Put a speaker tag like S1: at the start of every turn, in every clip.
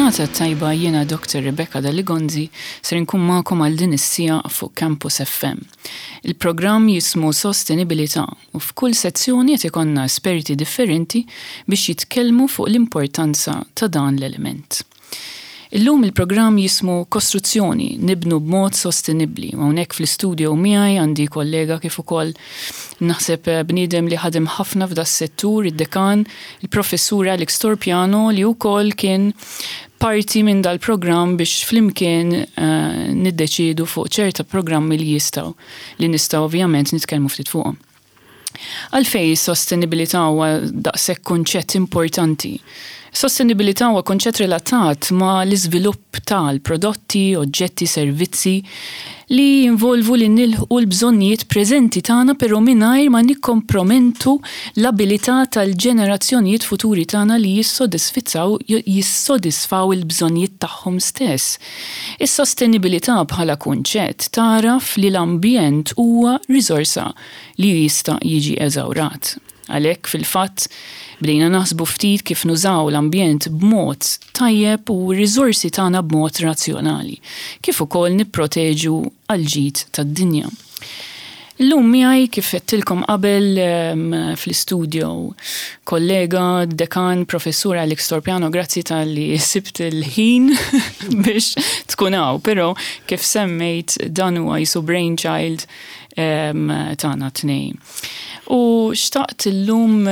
S1: Il-ġurnata t-tajba jiena Dr. Rebecca Daligonzi ser inkun magħkom għal din is-siegħa fuq Campus FM. Il-programm jismu Sostenibilità u f'kull sezzjoni qed ikollna esperti differenti biex jitkellmu fuq l-importanza ta' dan l-element. Illum il-programm jismu Kostruzzjoni, nibnu b'mod sostenibbli u hawnhekk fl-istudio miegħi għandi kollega kif ukoll naħseb bniedem li ħadem ħafna f'das-settur, id-dekan, il-Professur Alex Torpiano li wkoll kien parti minn dal-programm biex flimkien niddeċiedu fuq ċerta programmi li jistgħu li nistgħu ovvjament nitkellmu ftit fuqhom. Għalfejn is-sostenibilità huwa daqshekk kunċett importanti? Sostenibilità huwa kunċett relatat ma' l-iżvilupp tal-prodotti, oġġetti, servizzi li jinvolvu li nilħqu l-bżonnijiet preżenti tagħna però mingħajr ma nikkompromentu l-abilità tal-ġenerazzjonijiet futuri tagħna li jissodisfizzaw jissodisfaw il-bżonnijiet tagħhom stess. Is-sostenibilità bħala kunċett tagħraf li l-ambjent huwa riżorsa li jista' jiġi eżawrat. Għalhekk, fil-fatt, bdejna naħsbu ftit kif nużaw l-ambjent b'mod tajjeb u r-riżorsi tagħna b'mod razzjonali, kif ukoll nipproteġu għall-ġid tad-dinja. Illum miegħi, kif għedtilkom qabel, fl-istudio kollega, dekan, Professur Alex Torpiano, grazzi talli sibt il-ħin biex tkun hawn, però kif semmejt dan huwa qisu brainchild tagħna t-tnejn. U xtaqt illum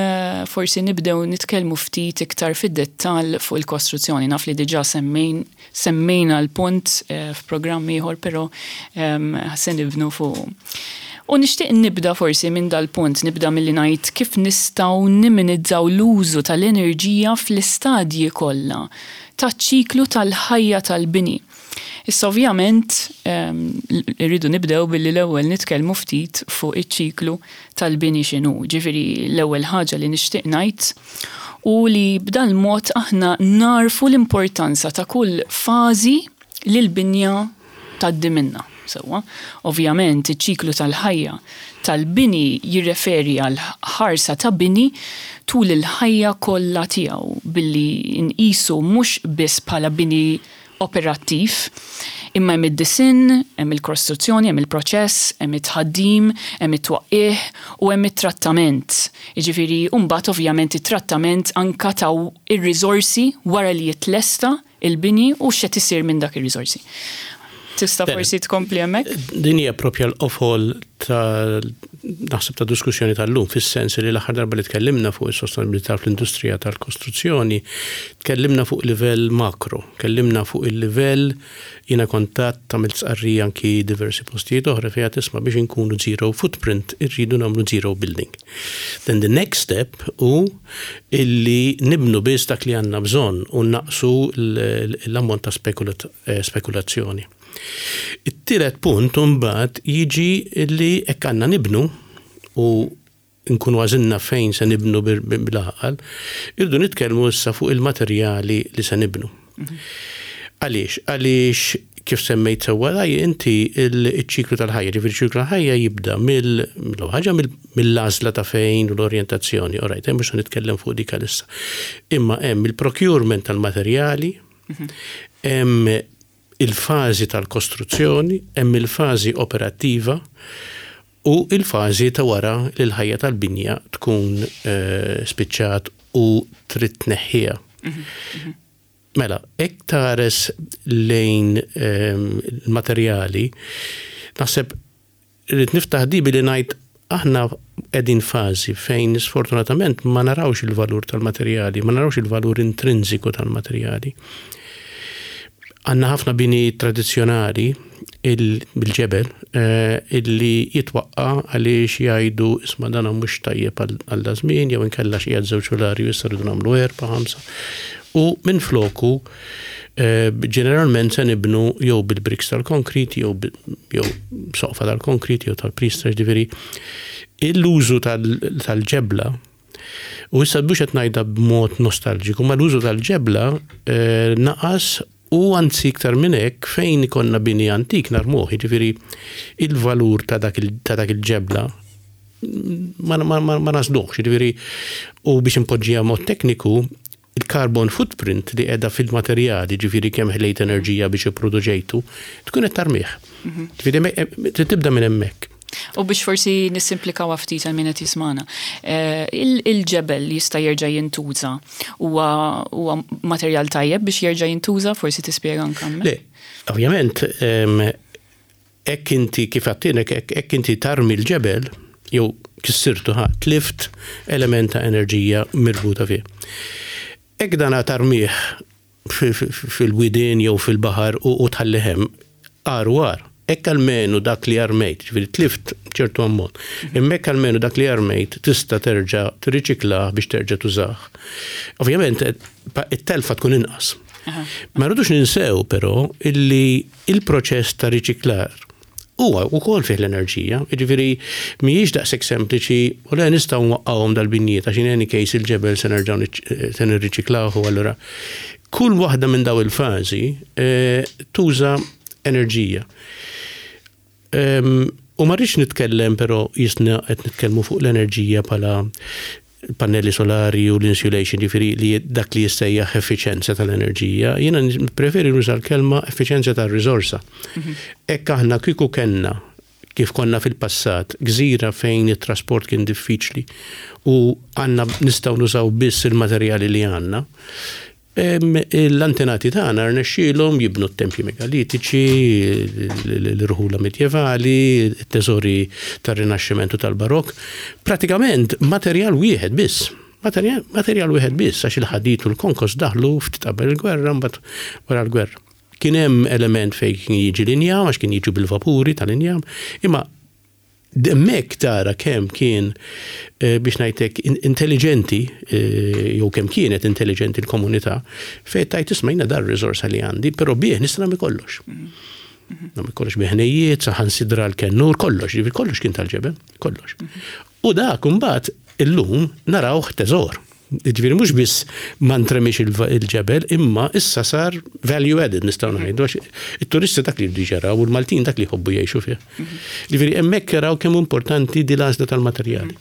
S1: forsi nibdew nitkellmu ftit iktar fid-dettall fuq il-kostruzzjoni. Naf li diġà semmejn semmejna l-punt f'programm ieħor, però se nibnu fuqu. U nixtieq nibda forsi minn dal-punt, nibda milli ngħid kif nistgħu niminizzaw l-użu tal-enerġija fl-istadji kollha taċ-ċiklu tal-ħajja tal-bini. Issa ovvjament irridu nibdew billi l-ewwel nitkellmu ftit fuq iċ-ċiklu tal-bini x'inhu. Ġifieri l-ewwel ħaġa li nixtieq ngħid hu li b'dal-mod aħna nagħrfu l-importanza ta' kull fażi li l-binja tgħaddi minnha. Sewwa, ovvjament iċ-ċiklu tal-ħajja tal-bini jirreferi għal ħarsa ta' bini tul il-ħajja kollha tiegħu billi nqisu mhux biss bħala bini operattiv, imma hemm id-disinn, hemm il-krostruzzjoni, hemm il-proċess, hemm it-tħaddim, hemm it-twaqqigħ u hemm it-trattament. Jiġifieri u mbagħad ovvjament it-trattament anke ta' ir-riżorsi wara li jitlesta l-bini u x'qed isir minn dak ir-riżorsi. Tista' forsi tkompli hemmhekk?
S2: Din hija propja l-qofol ta' naħseb ta' diskussjoni tal-lum fis-sens li l-aħħar darba li tkellimna fuq is-sostenibilità fl-industrija tal-kostruzzjoni, tkellimna fuq livell makro, tkellimna fuq il-livell jiena kont għedt għamilt stqarrija anki diversi postijiet oħra fejn għedt isma' biex inkunu zero footprint irridu nagħmlu zero building. Then the next step hu illi nibnu biss dak li għandna bżonn u nnaqqsu l-ammont ta' spekulazzjoni. It-tielet punt imbagħad jiġi li hekk għandna nibnu u nkunu għażilna fejn se nibnu bil-għaqal, irridu nitkellmu issa fuq il-materjali li se nibnu. Għaliex? Għaliex kif semmejt sewwa raj inti il-ċiklu tal-ħajja, ġifieri ċiklu tal-ħajja jibda mill ħaġa mill-għażla ta' fejn u l-orjentazzjoni, all right, mhux se nitkellem fuq dik għalissa. Imma hemm il-procurement tal-materjali, hemm il-fażi tal-kostruzzjoni, hemm il-fażi operattiva u il-fażi ta' wara li l-ħajja tal-binja tkun spiċċat u trid tneħħiha. Mela, hekk tħares lejn il-materjali, naħseb irrid niftaħ di billi ngħid aħna qegħdin fażi fejn sfortunatament ma narawx il-valur tal-materjali, ma narawx il-valur intrinsiku tal-materjali. Għandna ħafna bini tradizzjonali bil-ġebel illi jitwaqqa' għaliex jgħidu isma' dan mhux tajjeb għal da żmien jew inkella xi qiegħed żewġ sulari u issa rridu nagħmlu erba' ħamsa. U minfloku ġeneralment se nibnu jew bil-bricks tal-konkrit jew jew soqfa tal-konkrit jew tal-priestra ġifieri l-użu tal-ġebla U issa mhux qed ngħidha b'mod nostalġiku, ma l-użu tal-ġebla naqas u anzi iktar minn hekk fejn ikollna bini antik narmuh, jiġifieri il-valur ta' dak il-ġebla ma nażluhx, jiġifieri u biex inpoġġiha mod tekniku, il-carbon footprint li qiegħda fil-materjali, ġifieri kemm ħlejt enerġija biex ipproduċejtu, tkun qed tarmih. Ġifieri trid tibda minn hemmhekk.
S1: U biex forsi nissimplikaw ftit għal min qed jismana. Il-ġebel li jista' jerġa' jintuża huwa materjal tajjeb biex jerġa' jintuża, forsi tispjega anke hemmhekk.
S2: Le, ovvjament, hekk inti kif għattilek, hekk inti tarmi l-ġebel, jew kissirtu ħa, tlift element ta' enerġija mirbuta fih. Hekk dan tarmih fil-widien jew fil-baħar u tħallih hemm, agħar u agħar. Hekk almenu dak li armejt, ġifieri tlift ċertu ammont, imma hekk almenu dak li armejt tista' terġa' tirriċiklah biex terġa' tużah. Ovvjament it-telfa tkun inqas. Ma rridux ninsew però illi il-proċess ta' riċiklar huwa wkoll fih l-enerġija, jiġifieri mhijiex daqshekk sempliċi u le nistgħu nwaqqgħuhom dal-binjiet għax in any case il-ġebel se nerġgħu se nirriċiklawh u allura kull waħda minn daw il-fażi tuża enerġija. U ma rridx nitkellem però jisna qed nitkellmu fuq l-enerġija bħala pannelli solari u l-insulation, ġifieri li dak li jissejjaħ effiċenza tal-enerġija. Jiena preferi nuża l-kelma effiċenza tar-riżorsa. Hekk aħna kieku kellna kif konna fil-passat, gżira fejn it-trasport kien diffiċli u għandna nistgħu nużaw biss il-materjali li għandna, L-antenati tagħna rnexxielhom jibnu t-tempji megalitiċi, l-irħula medjevali, it-teżori tar-Rinaxximent u tal-Barokk. Pratikament materjal wieħed biss. Materjal wieħed biss għax il-ħadid u l-konkos daħlu ftit qabel il-gwerra mbagħad wara l-gwerra. Kien hemm element fejn kien jiġi l-injam għax kien jiġu bil-vapuri tal-injam, imma Hemmhekk tara kemm kien biex ngħidlek intelliġenti jew kemm kienet intelliġenti l-komunità fejn tgħid isma' jiena dar riżorsa li għandi, però bih nista' nagħmel kollox. Nagħmel kollox bi ħnejjiet, saħansitra l-kennur, kollox, jiġifieri kollox kien tal-ġebel, kollox. U dak imbagħad illum narawh teżor. Jiġifieri mhux biss ma ntremix il-ġebel, imma issa sar value added nistgħu ngħidu għax it-turisti dak li jridu jaraw u l-Maltin dak li jħobbu jgħixu fih. Jiġifieri hemmhekk jaraw kemm importanti di l-għażla tal-materjali.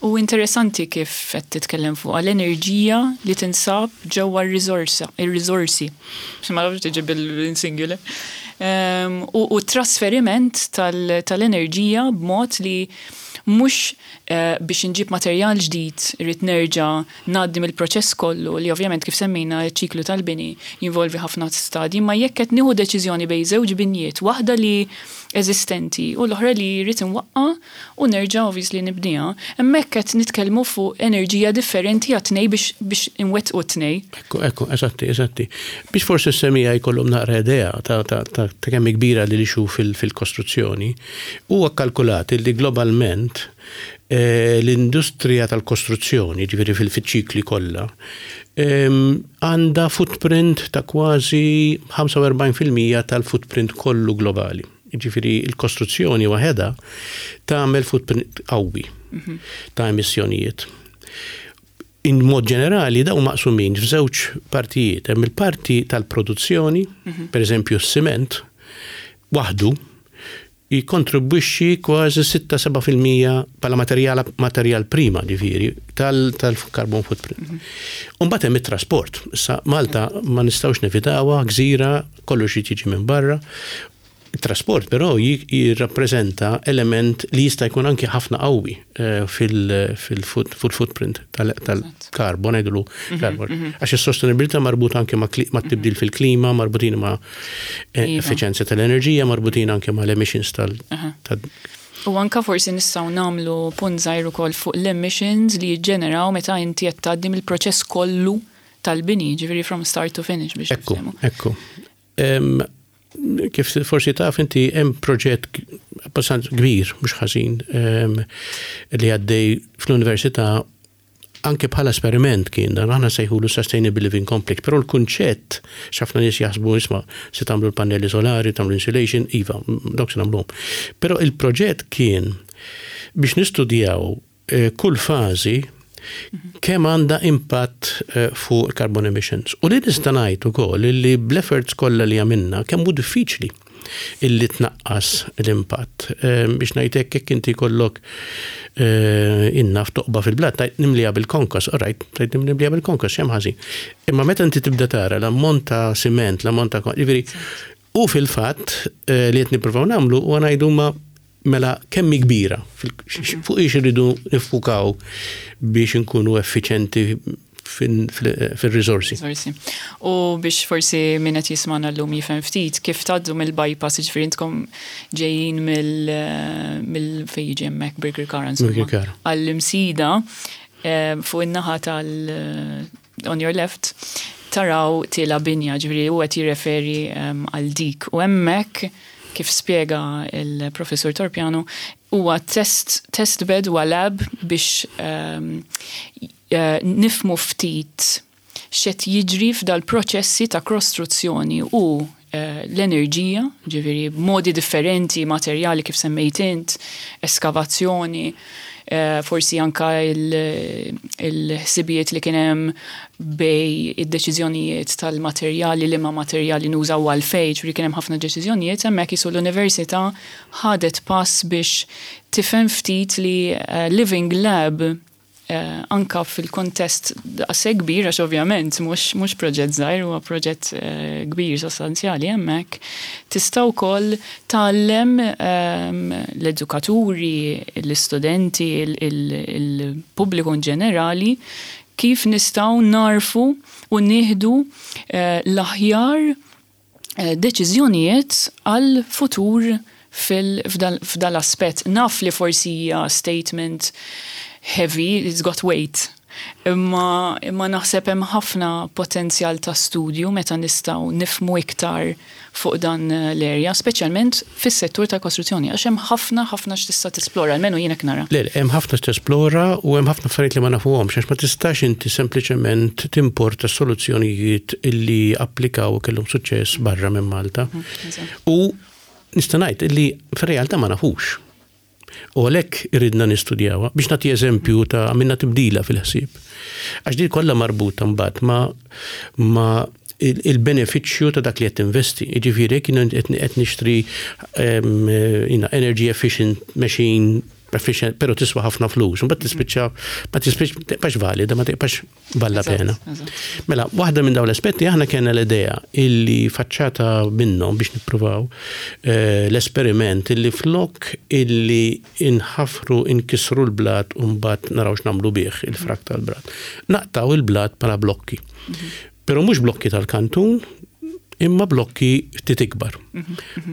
S1: U interessanti kif qed titkellem fuq l-enerġija li tinsab ġewwa r-riżorsa, ir-riżorsi. Ma nafx tiġi bil-singular. U t-trasferiment tal-enerġija b'mod li mhux Biex inġib materjal ġdid irrid nerġa' ngħaddi mill-proċess kollu li ovvjament kif semmejna ċ-ċiklu tal-bini jinvolvi ħafna stadji, imma jekk qed nieħu deċiżjoni bejn żewġ binjiet, waħda li eżistenti u l-oħra li rrid inwaqqa' u nerġa' obviously nibniha, hemmhekk qed nitkellmu fuq enerġija differenti għat-tnejn biex biex inwettqu t-tnejn.
S2: Ekku, ekku, eżatti, eżatti. Biex forsi s-semija jkollhom naqra idea ta' ta' ta' kemm hi kbira li l-issue fil-kostruzzjoni, Huwa kkalkulat li globalment l-industrija tal-kostruzzjoni, jiġifieri fil-ċikli kollha, għandha footprint ta' kważi 45% tal-footprint kollu globali. Jiġifieri l-kostruzzjoni waħedha tagħmel footprint qawwi ta' emissjonijiet. In mod ġenerali dawn maqsumin f'żewġ partijiet. Hemm il-parti tal-produzzjoni, pereżempju s-siment, waħdu jikkontribwixxi kważi 6-7% bħala materjal materjal prima ġifieri tal-carbon footprint. U mbagħad hemm it-trasport. Issa Malta ma nistgħux nevitawha, gżira, kollox irid jiġi minn barra. It-trasport però jirrappreżenta element li jista' jkun anki ħafna qawwi eh, fil-footprint tal-carbon, ngħidulu mhm, carbon. Mhm. Għax is-sostenibilità marbuta anke ma' tibdil mhm. fil-klima, marbutin ma' eh, iva. effiċenza tal-enerġija, marbutin anke ma' l-emissions tal-
S1: U anka forsi nistgħu nagħmlu punt żgħir ukoll fuq l-emissions li jiġġeneraw meta inti qed tgħaddi mill-proċess kollu tal-bini, ġifieri from start to finish biex.
S2: Ekku, ekku. Kif forsi taf inti hemm proġett abbastanza kbir, mhux ħażin, li għaddej fl-università anke bħala esperiment kien dan, aħna sejħulu Sustainable Living Complex, però l-kunċett x'ħafna nies jaħsbu isma' se tagħmlu l-pannelli solari, tagħmlu insulation, iva, dawk se nagħmluhom. Però il-proġett kien biex nistudjaw kull fażi kemm għandha impatt fuq il-carbon emissions. U li nista' ngħid ukoll li bl-efforts kollha li għamilna kemm hu diffiċli. illi tnaqqas l-impatt. Biex ngħid hekk, jekk inti jkollok innaf toqba fil-blat, tgħid nimliha bil-konkos, all right, tgħid nimliha bil-konkos, x'hemm ħażin. Imma meta inti tibda tara l-ammont ta' siment, l-ammont ta' jiġifieri, u fil-fatt li qed nippruvaw nagħmlu huwa ngħidu ma mela kemm hi kbira, fuq ix irridu niffukaw biex inkunu effiċenti fil-risorsi.
S1: U biex forsi min qed jismagħna llum jifhem ftit kif tgħaddu mill-bypass, jiġifieri intkom ġejjin mill fejn jiġi hemmhekk Birkirkara insomma. Għall-Imsida fuq in-naħa tal on your left taraw tiela binja, ġifieri hu qed jirreferi għal dik. U hemmhekk kif spjega il-Professur Torpiano huwa test test bed huwa lab biex nifhmu ftit x'qed jiġri f'dal-proċessi ta' kostruzzjoni u l-enerġija, ġifieri b'modi differenti, materjali kif semmejt int, eskavazzjoni, forsi anka il-ħsibijiet li kien hemm bej id-deċiżjonijiet tal-materjali, liema materjali nużaw għalfejn, ġifieri kien hemm ħafna deċiżjonijiet, hemmhekk qisu l-università ħadet pass biex tifhem ftit li Living Lab anka fil-kontest daqshekk kbir, għax ovvjament mhux proġett żgħir, huwa proġett kbir sostanzjali hemmhekk, tista' wkoll tgħallem l-edukaturi, l-istudenti, il-pubbliku in ġenerali kif nistgħu narfu u nieħdu l-aħjar deċiżjonijiet għal futur f'dal-aspett. Naf li forsi hija statement heavy, it's got weight. Imma naħseb hemm ħafna potenzjal ta' studju meta nistgħu nifhmu iktar fuq dan l-area, speċjalment fis-settur tal-kostruzzjoni, għax hemm ħafna ħafna x'tista' tesplora, almenu jien hekk nara.
S2: Le, hemm ħafna x'tesplora u hemm ħafna affarijiet li ma nafuhomx, għax ma tistax inti sempliċement timporta soluzzjonijiet illi applikaw u kellhom suċċess barra minn Malta. U nista' ngħid illi fir-realtà ma nafux. U għalhekk iridna nistudjawha. Biex nagħti eżempju ta' għamilna tibdila fil-ħsieb. Għax din kollha marbuta mbagħad ma il-benefiċċju ta' dak li qed tinvesti. Jiġifieri jekk jien qed nixtri energy efficient machine efficient, pero tiswa ħafna flus, mbagħad tispiċċa ma tispiċċa tibqax valida, ma tibqax valla pena. Mela, waħda minn dawn l-aspetti aħna kellna l-idea illi faċċata minnhom biex nippruvaw l-esperiment illi flok illi inħafru inkisru l-blat u mbagħad naraw x'nagħmlu bih il-frak tal-blat. Naqtaw il-blat bħala blokki. Però mhux blokki tal-kantun, imma blokki ftit ikbar.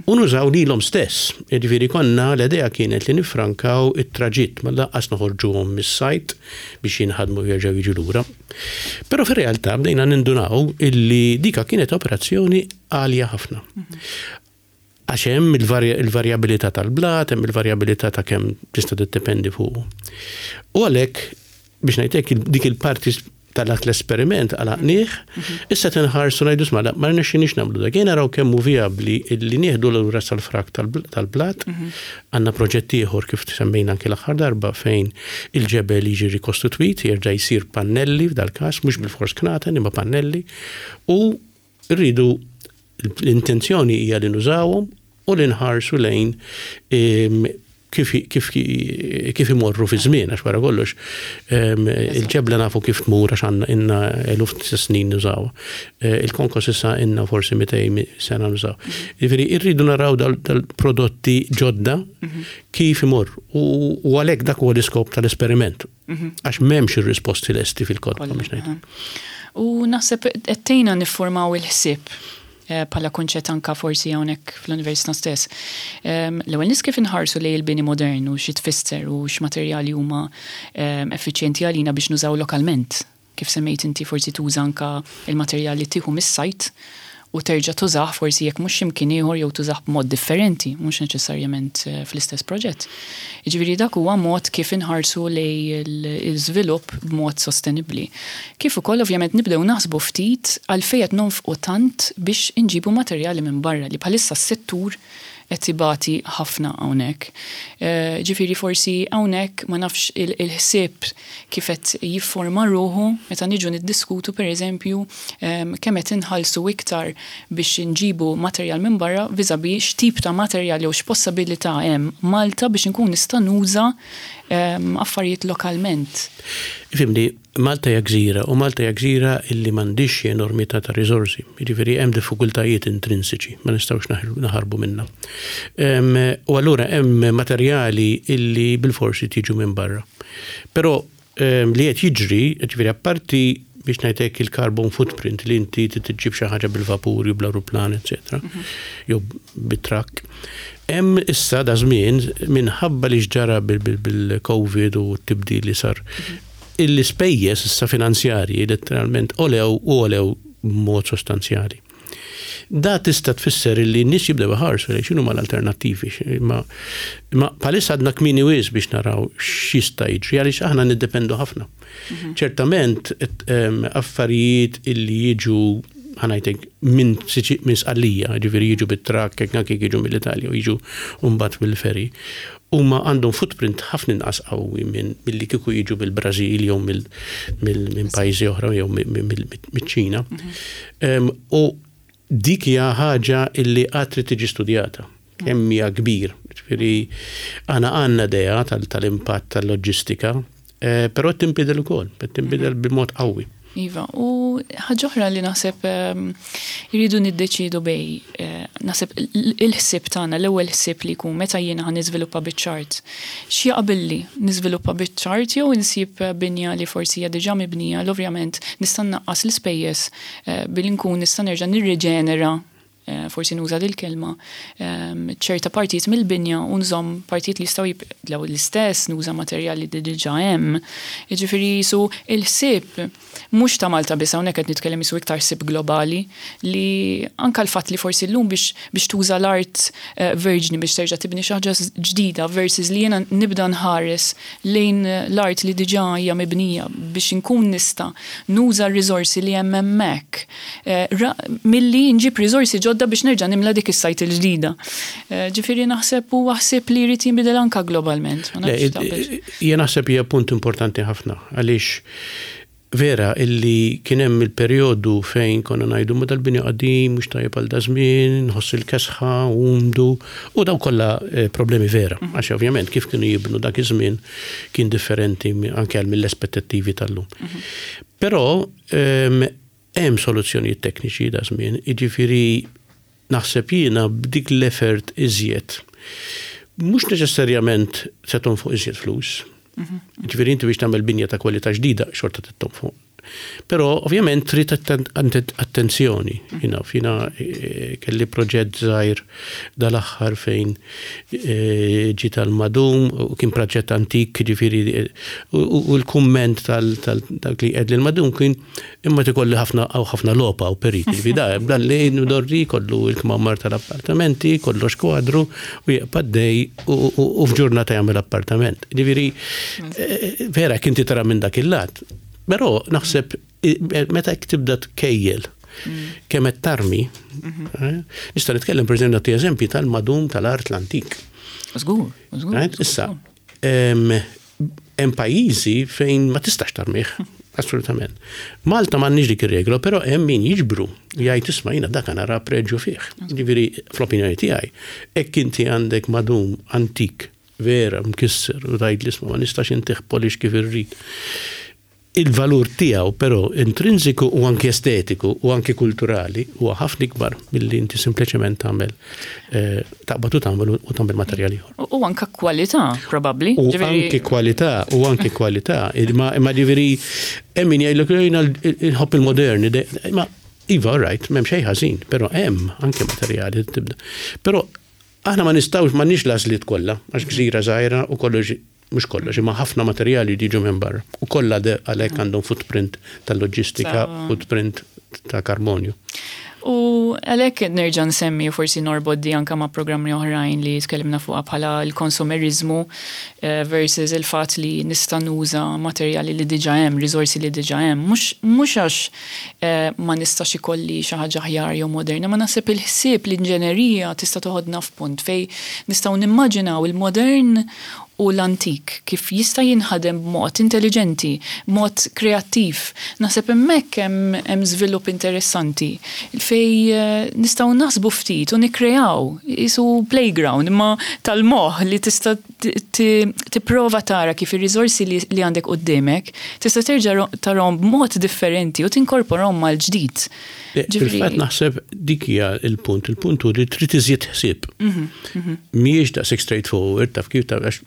S2: U nużaw lilhom stess. Jiġifieri konna l-idea kienet li nifrankaw it-traġitt, ma lanqas noħorġuhom mis-sajt biex jinħadmu jerġgħu jiġu lura. Però fir-realtà bdejna nindunaw illi dika kienet operazzjoni għalja ħafna. Għax hemm il-varjabilità tal-blat, hemm il-varjabilità ta' kemm tista' tiddependi fuqu. U għalhekk biex ngħidlek dik il-parti tal-dak l-esperiment għalaqnieh, issa tinħarsu ngħidu sma ma rnexxinix nagħmlu dak. Jien naraw kemm hu vijabbli li nieħdu lura sal-frak tal-blat. Għandna proġett ieħor kif semmejna anke l-aħħar darba fejn il-ġebel jiġi rikostitwit, jerġa' jsir pannelli f'dal-każ, mhux bil-fors knaten imma pannelli, u rridu l-intenzjoni hija li nużawhom u li nħarsu lejn kif, kif, kif imorru fi żmien, għax wara kollox il-ġebla nafu kif tmur għax għandna inna eluf ta' snin nużaw. Il-konkos issa inna forsi 200 sena nużaw. Jiġifieri irridu naraw dal-prodotti ġodda kif imorru u għalhekk dak huwa l-iskop tal-esperiment. Għax m'hemmx ir-risposti lesti fil-kotba biex ngħid.
S1: U naħseb qed tgħinna niffurmaw il-ħsieb bħala kunċett anka forsi hawnhekk fl-università stess. L-ewwel nies kif inħarsu lejn il-bini modern u xi tfisser u x'materjali huma effiċjenti għalina biex nużaw lokalment. Kif semmejt inti forsi tuża anka il-materjali tieħu mis-sajt u terġa' tużah forsi jekk mhux x'imkien ieħor jew tużah b'mod differenti, mhux neċessarjament fl-istess proġett. Jiġifieri dak huwa mod kif inħarsu lejn l-iżvilupp b'mod sostenibbli. Kif ukoll ovvjament nibdew naħsbu ftit għalfejn qed nonfqu tant biex inġibu materjali minn barra li bħalissa s-settur qed ibati ħafna hawnhekk. Ġifieri forsi hawnhekk ma nafx il-ħsieb kif qed jifforma ruħu meta niġu niddiskutu pereżempju kemm qed inħallsu iktar biex inġibu materjal minn barra vis-à-vis x'tip ta' materjal jew x'possabilità hemm Malta biex inkun nista' nuża affarijiet lokalment.
S2: Ifhimni, Malta hija gżira u Malta hija gżira illi m'għandhiex xi enormità ta' riżorsi. Jiġifieri hemm diffikultajiet intrinsiċi, ma nistgħux naħarbu minnha. U allura hemm materjali illi bilfors irid jiġu minn barra. Però li qed jiġri, jiġifieri apparti biex ngħid hekk il-carbon footprint li inti trid iġġib xi ħaġa bil-vapur jew bl-ajruplan, eċetera, jew bit-trakk. Hemm issa da żmien minħabba li x'ġara bil-Covid u t-tibdil li sar l-ispejjeż issa finanzjarji letteralment għolew u għolew b'mod sostanzjali. Da tista' tfisser li n-nies jibdew iħarsu lejn x'inhuma l-alternattivi. Imma imma bħalissa għadna kmieni wisq biex naraw x'jista' jiġri għaliex aħna niddependu ħafna. Ċertament affarijiet illi jiġu ħa ngħidlek minn minn Sqallija, ġifieri jiġu bit-trakk, anke jekk jiġu mill-Italja u jiġu mbagħad bil-ferry, huma għandhom footprint ħafna inqas qawwi minn milli kieku jiġu mill-Brażil jew minn pajjiżi oħra jew miċ-Ċina. U dik hija ħaġa illi għad trid tiġi studjata. Kemm hija kbir. Ġifieri aħna għandna idea tal-impatt tal-loġistika, eh, però qed tinbidel ukoll, qed tinbidel b'mod qawwi.
S1: Iva, u ħaġa oħra li naħseb ehm, irridu niddeċidu bej, eh, naħseb il-ħsieb tagħna, l-ewwel ħsieb li jkun meta jiena ħa niżviluppa biċ-ċart. X'jaqbilli niżviluppa biċ-ċart jew insib binja li forsi hija diġà mibnija, l ovvjament nista' nnaqqas l-ispejjeż eh, billi nkun nista' nerġa' nirriġenera Eh, forsi nuża dil-kelma, ehm, ċerta partijiet mill-binja u nżomm partijiet li jistgħu jibqgħu l-istess, nuża materjali li diġà hemm. Jiġifieri jisu il-ħsieb mhux ta' Malta biss hawnhekk qed nitkellem jisu iktar ħsieb globali li anke l-fatt li forsi llum biex biex tuża l-art eh, verġni biex terġa' tibni xi ħaġa ġdida versus li jiena nibda nħares lejn l-art li diġà hija mibnija biex inkun nista' nuża r-riżorsi li hemm hemmhekk milli nġib riżorsi ġodda biex nerġa' nimla dik is-sajt il-ġdida. Ġifieri naħseb huwa ħsieb li jrid jinbidel anke globalment.
S2: Jien naħseb hija punt importanti ħafna għaliex vera illi kien hemm il-perjodu fejn konna ngħidu ma dal-bini qadim mhux tajjeb għal dażmien, nħoss il-kesħa, umdu, u daw kollha eh, problemi vera. Mhm. Għax ovvjament kif kienu jibnu dak iż-żmien kien differenti anke għal mill-aspettattivi tal-lum. Mhm. Però ehm, Hemm soluzzjonijiet tekniċi da żmien, jiġifieri naħseb jiena b'dik l-effort iżjed. Mhux neċessarjament se tonfoq iżjed flus. Mhm. Jiġifieri inti biex tagħmel binja ta' kwalità ġdida xorta trid tonfoq. Però ovvjament trid attenzjoni. Jiena jiena eh, kelli proġett żgħir dal-aħħar fejn eh, ġie tal-madum u kien proġett antik, jiġifieri eh, u l-kumment tal-dak li qed l-madum kien Imma tikolli ħafna hawn ħafna logħob hawn perikli fi da, dan li dorri kollu il-kmamar tal-appartamenti, kollox kwadru u jibqa' dej u f'ġurnata jagħmel appartament. Ġifieri eh, vera kien tara minn dak il-lat. Però naħseb meta jekk tibda tkejjel mm. kemm qed tarmi, mhm. eh, nista' nitkellem pereżempju nagħti eżempji tal-madum tal-art l-antik.
S1: Żgur, żgur.
S2: Issa, Hemm pajjiżi fejn ma tistax tarmih, assolutament. Malta m'għandniex dik ir-regola, però hemm min jiġbru jgħid isma' jiena dak nara preġju fih. Jiġifieri fl-opinjoni tiegħi, hekk inti għandek madum antik vera mkisser u tgħid li isma' ma nistax intih polish kif irrid. Il-valur tiegħu però intrinsiku u anki estetiku u anki kulturali huwa ħafna ikbar milli inti sempliċement tagħmel eh, taqbad u tagħmel u tagħmel materjal ieħor.
S1: U anka kwalità probabbli.
S2: U anki kwalità, u anki kwalità. Imma ġifieri hemm min jgħidlek jiena nħobb il-moderni, imma iva right, m'hemm xejn ħażin, però hemm anke materjali tibda. Però aħna ma nistgħux m'għandniex l-għażliet kollha għax gżira żgħira u kollox mhux kollox, imma ħafna materjali jiġu minn barra. U kollha għalhekk għandhom footprint tal-loġistika, footprint ta' karbonju.
S1: U għalhekk nerġa' nsemmi u forsi norbot di anke ma' programmi oħrajn li tkellimna fuqha bħala l-konsumerizmu versus il-fatt li nista' nuża materjali li diġà hemm, riżorsi li diġà hemm. Mhux mhux għax ma nistax ikolli xi ħaġa aħjar jew moderna, ma naħseb il-ħsieb, l-inġenerija tista' toħodna f'punt fejn nistgħu nimmaġinaw il-modern u l-antik, kif jista' jinħadem b'mod intelliġenti, b'mod kreattiv. Naħseb hemmhekk hemm hemm żvilupp interessanti fejn nistgħu naħsbu ftit u nikkreaw, qisu playground imma tal-moħħ li tista' tipprova tara kif ir-riżorsi li għandek quddiemek tista' terġa' tarahom b'mod differenti u tinkorporahom mal-ġdid.
S2: Fil-fatt naħseb dik hija l-punt, il-punt hu li trid iżjed ħsieb. Mhm, mhm. Mhijiex daqshekk straightforward taf kif ta' għax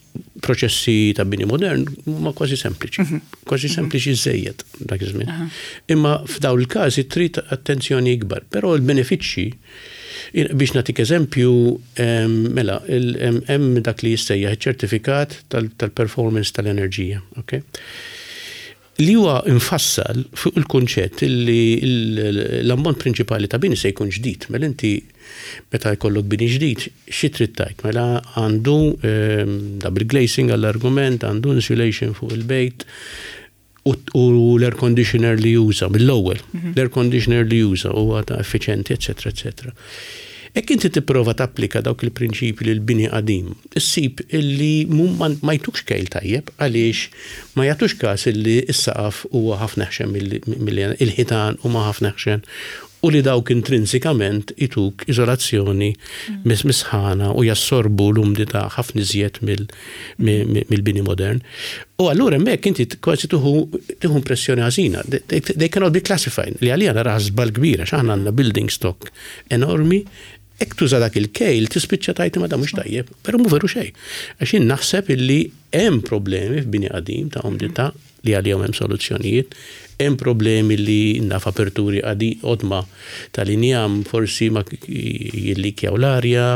S2: proċessi ta' bini modern huma kważi sempliċi. Mhm. Kważi sempliċi żejjed dak iż-żmien. Imma f'dawn il-każi trid attenzjoni ikbar, però l-benefiċċji biex nagħtik eżempju, mela, hemm dak li jissejjaħ iċ-ċertifikat tal-performance tal-enerġija, okay? Li huwa mfassal fuq il-kunċett li l-ammont prinċipali ta' bini se jkun ġdid. Mela inti meta jkollok bini ġdid, xi trid tgħid? Mela għandu double glazing għall-argument, għandu insulation fuq il-bejt, u l-air conditioner li juża mill-ewwel, l-air conditioner li juża huwa ta' effiċjenti, eċetera, eċetera. Jekk inti tipprova tapplika dawk il-prinċipji lil bini qadim, issib illi ma jtukx kejl tajjeb għaliex ma jagħtux każ illi s-saqaf huwa ħafna eħxen milli il-ħitan huma ħafna eħxen u li dawk intrinsikament ituk iżolazzjoni mis-sħana u jassorbu l-umdità ħafna iżjed mill-bini modern. U allura hemmhekk inti kważi tieħu tieħu impressjoni ħażina. They cannot be classified li għalija naraha żball kbir għax aħna għandna building stock enormi, hekk tuża dak il-kejl tispiċċa tgħid imma dan mhux tajjeb, però mhu veru xejn. Għax jien naħseb illi hemm problemi f'bini qadim ta' umdità li għalihom hemm soluzzjonijiet, hemm problemi li naf aperturi qodma tal-injam forsi ma jillikjaw l-arja,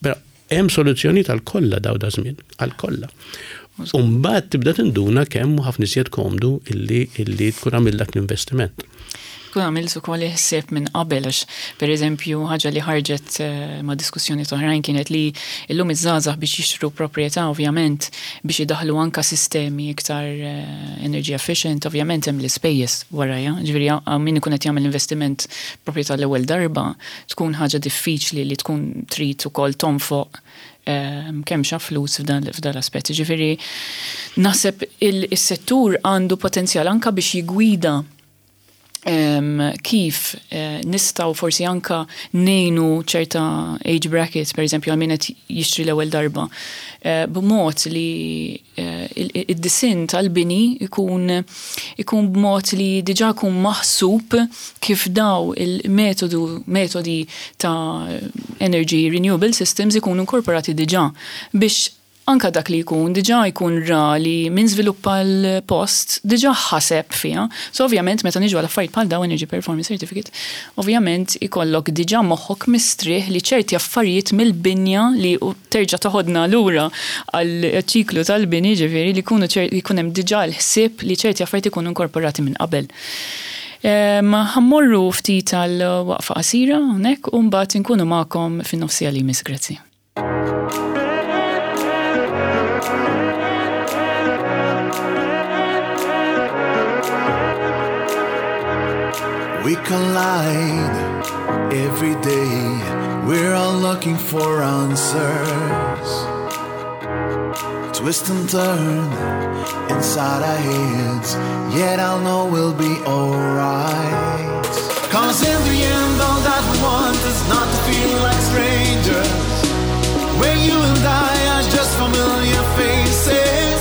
S2: però hemm soluzzjonijiet għal kollha daw da żmien, għal kollha. U mbagħad tibda tinduna kemm hu ħafna iżjed komdu illi illi tkun għamilt dak l-investiment.
S1: Tkun għamilt ukoll il-ħsieb minn qabel għax pereżempju ħaġa li ħarġet eh, ma' diskussjoni oħrajn kienet li llum iż-żgħażagħ biex jixtru proprjetà ovvjament biex idaħlu anka sistemi iktar eh, energy efficient, ovvjament hemm l-ispejjeż warajha. Ġifieri min ikun qed jagħmel investiment proprjetà l-ewwel darba tkun ħaġa diffiċli li tkun trid ukoll tonfoq kemm xa flus f'dan l-aspett. Ġifieri naħseb is-settur għandu potenzjal anka biex jigwida kif eh, nistgħu forsi anka ngħinu ċerta age brackets, per eżempju, għal min qed jixtri l-ewwel darba, eh, b'mod li eh, id-disinn tal-bini ikun ikun b'mod li diġà jkun maħsub kif daw il-metodu metodi ta' energy renewable systems ikunu inkorporati diġà biex anka dak li jkun diġà jkun ra li min żviluppa l-post diġà ħaseb fiha. So ovvjament meta niġu għal affarijiet bħal daw Energy Performance Certificate, ovvjament ikollok diġà moħħok mistrieħ li ċerti affarijiet mill-binja li terġa' toħodna lura għal ċiklu tal-bini ġifieri li jkunu jkun hemm diġà l-ħsieb li ċerti affarijiet ikunu inkorporati minn qabel. Ħa mmorru ftit għal waqfa qasira hawnhekk u mbagħad inkunu magħkom fin-nofsija li jmiss. Grazzi.
S3: We collide every day. We're all looking for answers. Twist and turn inside our heads, yet I'll know we'll be alright. Cause in the end, all that we want is not to feel like strangers. Where you and I are just familiar faces.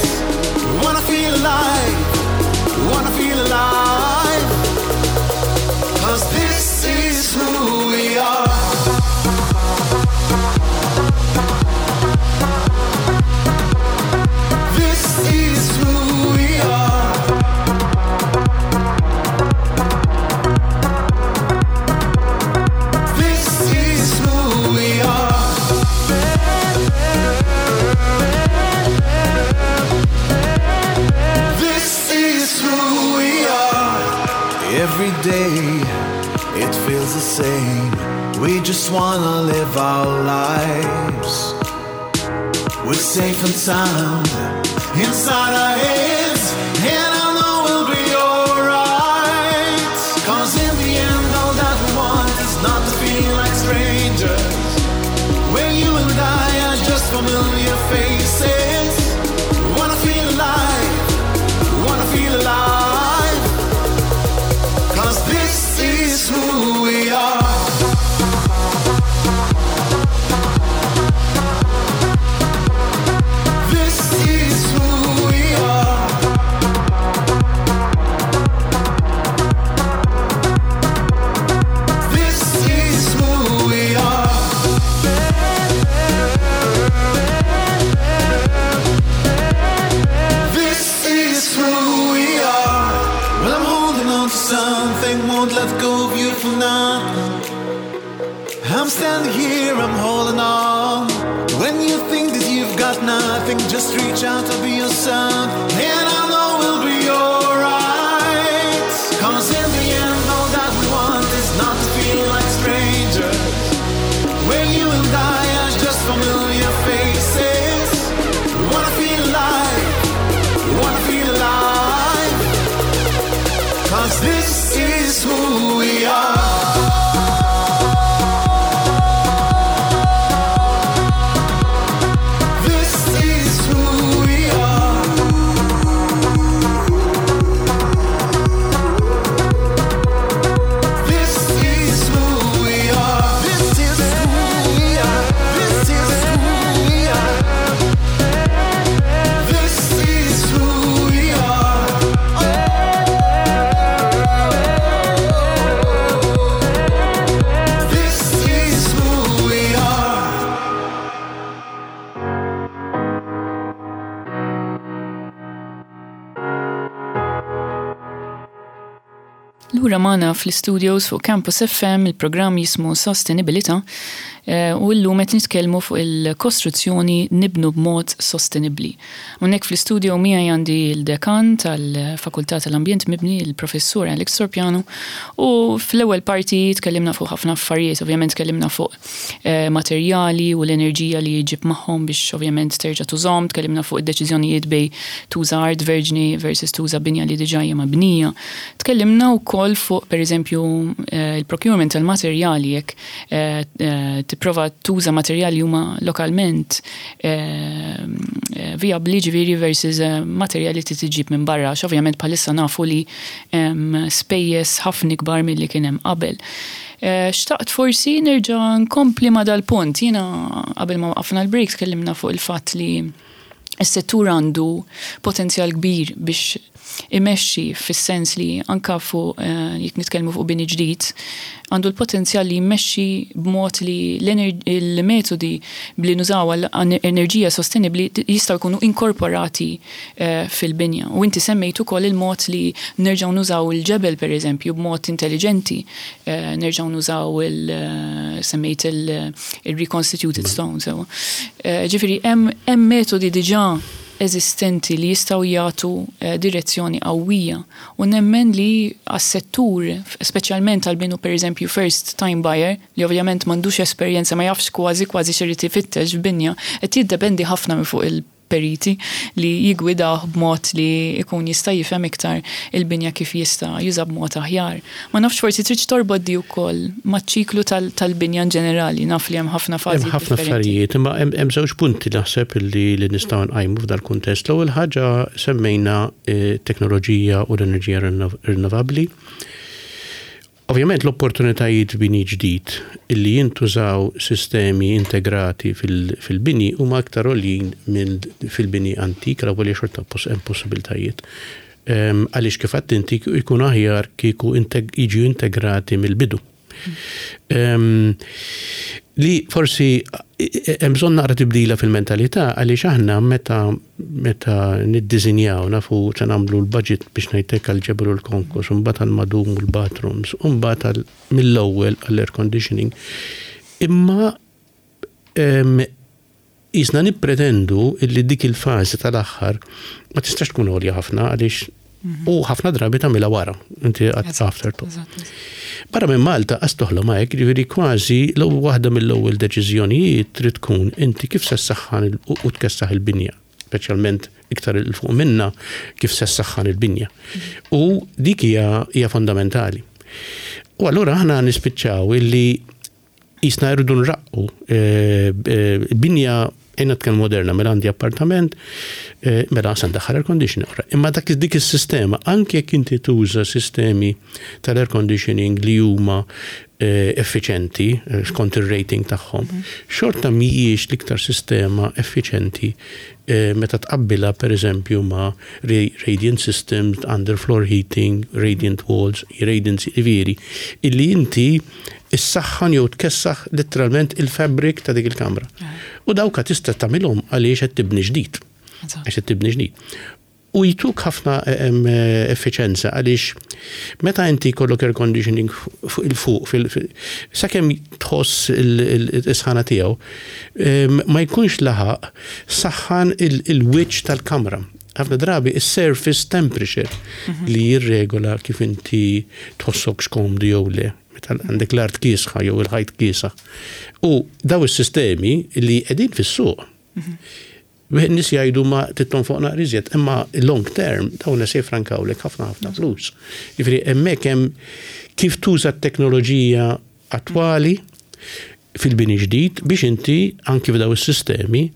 S3: We wanna feel alive, we wanna feel alive. Cause this is who we are. This is who we are. This is who we are. feels the same. We just wanna live our lives. We're safe and sound inside our heads, and I know we'll be alright. Cause in the end, all that we want is not to feel like strangers. Where you and I are just familiar faces. Wanna feel alive, wanna feel alive. Cause this is who we are. This is who we are. This is who we are. This is who we are. Well, I'm holding on to something, won't let go of you for nothing. I'm standing here, I'm holding on. When you think that you've got nothing, just reach out, I'll be your son. And I know we'll be alright. Cause in the end, all that we want is not to feel like strangers. Where you and I are just familiar faces. Wanna feel alive, wanna feel alive. Cause this is who we are. This is who we are. This is who we are. This is who we are. This is who we are. This is who we are. This is who we are.
S1: Lura magħna fl-studios fuq Campus FM il-programm jismu Sostenibilità eh, u llum qed nitkellmu fuq il-kostruzzjoni nibnu b'mod sostenibbli. Hawnhekk fl-istudio miegħi għandi l-dekan tal-Fakultà tal-Ambjent Mibni, il-Professur Alex Torpiano, u fl-ewwel parti tkellimna fuq ħafna affarijiet, ovvjament tkellimna fuq eh, materjali u l-enerġija li jġib magħhom biex ovvjament terġa' tużhom, tkellimna fuq id-deċiżjonijiet bej tuża art verġni versus tuża binja li diġà hija mabnija. Tkellimna wkoll fuq pereżempju eh, il-procurement tal-materjali jekk eh, eh, tipprova tuża materjali huma lokalment vijabbli ġifieri versus materjali li tiġib minn barra, għax ovvjament bħalissa nafu li hemm spejjeż ħafna ikbar milli kien hemm qabel. Xtaqt forsi nerġa' nkompli ma' dal-punt. Jiena qabel ma waqafna l-break tkellimna fuq il-fatt li s-settur għandu potenzjal kbir biex imexxi fis-sens li anka fuq eh, jekk nitkellmu fuq bini ġdid, għandu l-potenzjal li jmexxi b'mod li l-metodi li nużaw għal enerġija sostenibbli jistgħu jkunu inkorporati eh, fil-binja. U inti semmejt ukoll il-mod li nerġgħu nużaw il-ġebel pereżempju b'mod intelligenti, eh, nerġgħu nużaw il semmejt il-reconstituted stone sewa. Ġifieri hemm metodi diġà eżistenti li jistgħu jagħtu eh, direzzjoni qawwija u nemmen li għas-settur, speċjalment għal min hu pereżempju first time buyer, li ovvjament m'għandux esperjenza ma jafx kważi kważi x'irid ifittex f'binja, qed jiddependi ħafna minn fuq il-periti li jigwidawh b'mod li jkun jista' jifhem iktar il-binja kif jista' juża b'mod aħjar. Ma nafx forsi tridx torbot di wkoll maċ-ċiklu tal-binja in ġenerali, naf li hemm ħafna fażijiet.
S2: Hemm ħafna affarijiet, imma hemm żewġ punti naħseb li li nistgħu nqajmu f'dal-kuntest. L-ewwel ħaġa semmejna eh, teknoloġija u l-enerġija rinnovabbli. Ovvjament l-opportunitajiet f'bini ġdid illi jintużaw sistemi integrati fil-bini huma aktar għoljin minn fil-bini antik, l-ewwel xorta hemm possibiltajiet. Għaliex kif għedt inti jkun aħjar kieku jiġu integrati mill-bidu. Li forsi hemm bżonn naqra tibdila fil-mentalità għaliex aħna meta meta niddisinjaw nafu se nagħmlu l-budget biex ngħidlek għall-ġebel u l-konkos, u mbagħad għall-madum u l-bathrooms, u mbagħad mill-ewwel għall-air conditioning. Imma Qisna nippretendu illi dik il-fażi tal-aħħar ma tistax tkun għolja ħafna għaliex u ħafna drabi tagħmilha wara, inti għad after to. Barra minn Malta qas toħlom hekk, jiġifieri kważi l-ewwel waħda mill-ewwel deċiżjonijiet trid tkun inti kif se ssaħħan u tkessaħ il-binja, speċjalment iktar 'il fuq minna kif se ssaħħan il-binja. U dik hija hija fondamentali. U allura aħna nispiċċaw illi Qisna rridu nraqqu binja ejna nitkellmu moderna, mela għandi appartament, mela se ndaħħal air conditioning oħra. Imma dak dik is-sistema, anke jekk inti tuża sistemi tal-air conditioning li huma effiċenti skont ir-rating tagħhom, xorta mhijiex l-iktar sistema effiċenti meta tqabbilha pereżempju ma' radiant systems, underfloor heating, radiant walls, radiant, jiġifieri illi inti issaħħan jew tkessaħ litteralment il-fabric ta' dik il-kamra. U dawka tista' tagħmilhom għaliex qed tibni ġdid. Għax qed tibni ġdid. U jtuk ħafna effiċenza għaliex meta inti jkollok air conditioning fuq il-fuq, sakemm tħoss il-sħana tiegħu, ma jkunx laħaq saħħan il-wiċċ tal-kamra. Ħafna drabi is-surface temperature li jirregola kif inti tħossok skomdu jew le. Meta għandek l-art kiesħa jew il-ħajt kiesaħ. U daw is-sistemi li qegħdin fis-suq. Nies jgħidu ma titton fuq naqra iżjed, imma long term dawn se jfrankawlek ħafna ħafna flus. Jiġifieri hemmhekk hemm kif tuża t-teknoloġija attwali fil-bini ġdid biex inti anki f'daw is-sistemi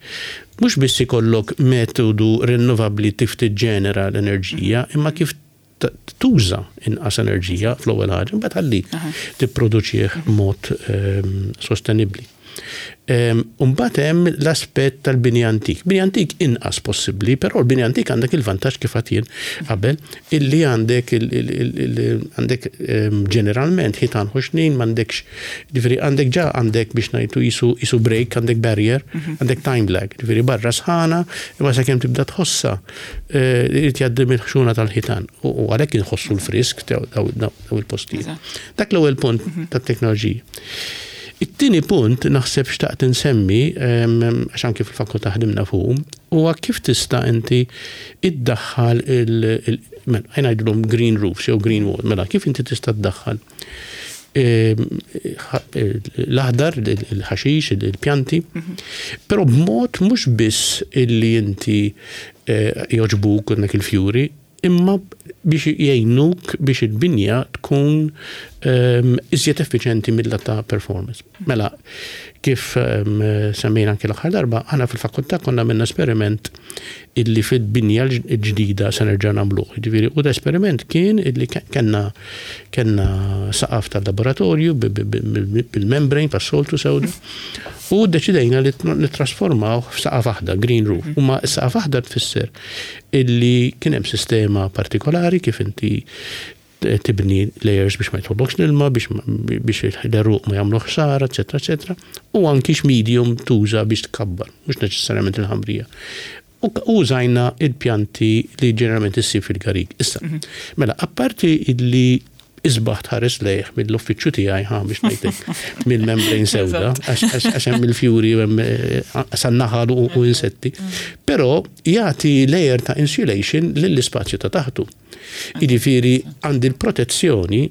S2: mhux biss ikollok metodu rinnovabbli kif tiġġenera l-enerġija, imma kif tuża inqas enerġija fl-ewwel ħaġa, mbagħad ħalli tipproduċih b'mod sostenibbli. Mbagħad hemm l-aspett tal-bini antik. Bini antik inqas possibbli, però l-bini antik għandek il-vantaġġ kif għad jien qabel illi għandek għandek ġeneralment ħitan ħoxnin m'għandekx ġifieri għandek ġa għandek biex ngħidu jisu break, għandek barrier, għandek time lag, ġifieri barra sħana imma sakemm tibda tħossha irid jgħaddi mill-ħxuna tal-ħitan u għalhekk inħossu l-frisk daw il-postijiet. Dak l-ewwel punt tat-teknoloġija. It-tieni punt naħseb xtaqt insemmi, għax anki fil-fakultà ħdimna fuqu, huwa kif tista' inti iddaħħal il, mela, ejja ngħidulhom green roofs jew green wall, mela kif inti tista' ddaħħal l-aħdar, il-ħaxix, il-pjanti, però b'mod mhux biss illi inti jogħġbuk għandek il-fjuri, imma biex jgħinuk biex il-binja tkun iżjed effiċenti mill-lat ta' performance. Mela, kif semmejna anki l-aħħar darba, aħna fil-fakultà konna għamilna esperiment illi fil-binja l-ġdida se nerġa' nagħmluh. Jiġifieri, u l-esperiment kien illi kellna kellna saqaf tal-laboratorju bil-membrane tas-soltu sewda u ddeċidejna li nittrasformawh f'saqaf aħdar, green roof. U ma s-saqaf aħdar tfisser illi kien hemm sistema partikolari kif inti tibni layers biex ma jidħollokx l-ilma, biex l-għeruq ma jagħmlu ħsara, eċetera, eċetera, u anki x'medium tuża biex tkabbar, mhux neċessarjament il-ħamrija. U użajna il-pjanti li ġeneralment issib fil-garig. Issa, mela, apparti illi isbaħ tħares lejh mill-uffiċċju tiegħi ħa biex ngħidlek mill-membrane sewda għax hemm il-fjuri u hemm eh, san-naħal u insetti. Però jagħti layer ta' insulation lill-ispazju ta' taħtu. Jiġifieri għandi l-protezzjoni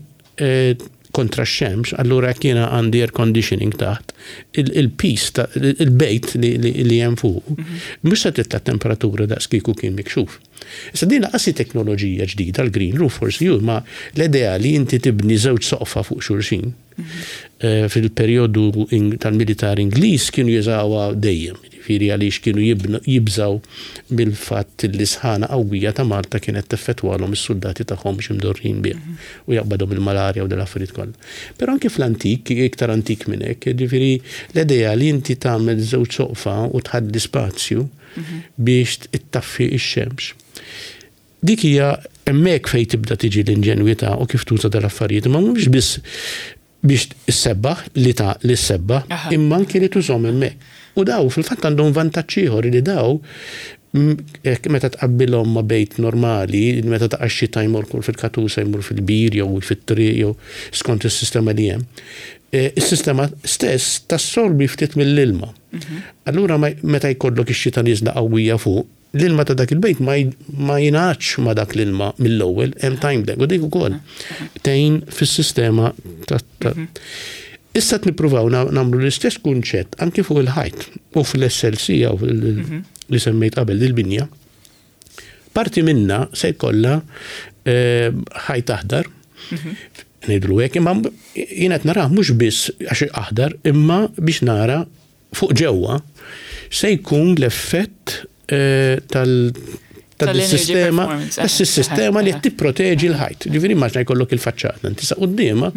S2: eh, kontra x-xemx, allura jekk jiena għandi air conditioning taħt, il-pis, il-bejt li hemm fuq, mhm. mhux se titla' temperatura daqs kieku kien mikxuf. Issa din laqas hi teknoloġija ġdida l-green roof forsi hu, imma l-idea li inti tibni żewġ soqfa fuq xulxin fil-perjodu tal-militar Ingliż kienu jużawha dejjem, jiġifieri għaliex kienu jibżgħu mill-fatt li sħana qawwija ta' Malta kienet teffettwalhom is-suldati tagħhom mhux imdorrijin biha u jaqbadhom il-malarja u dal-affarijiet kollha. Però anki fl-antik, iktar antik minn hekk, jiġifieri l-idea li inti tagħmel żewġ soqfa u tħalli spazju biex ittaffi x-xemx. Dik hija hemmhekk fejn tibda tiġi l-inġenwità u kif tuża dal-affarijiet, imma mhux biss biex issebbaħ li ta' li ssebbaħ, imma anki li tużhom hemmhekk. U daw fil-fatt għandhom vantaġġ ieħor li daw meta tqabbilhom ma' bejt normali, meta taqa' x-xita jmur fil-katusa jmur fil-bir jew fit-triq jew skont is-sistema li hemm. Is-sistema stess tassorbi ftit mill-ilma. Allura meta jkollok ix-xita nieżla qawwija fuq, L-ilma ta' dak il-bejt ma jingħadx ma' dak l-ilma mill-ewwel, hemm time lag, u dik ukoll tgħin fis-sistema ta' Issa qed nippruvaw nagħmlu l-istess kunċett anki fuq il-ħajt u fl-SLC jew li semmejt qabel il-binja. Parti minna se jkollha ħajt aħdar, ngħidlu hekk, imma jien qed narah mhux biss għax aħdar, imma biex nara fuq ġewwa se jkun l-effett tal
S1: Tal-energy
S2: sistema
S1: performance.
S2: Sistema li qed tipproteġi l-ħajt. Ġifieri immaġina jkollok il-faċċata, inti sa quddiemha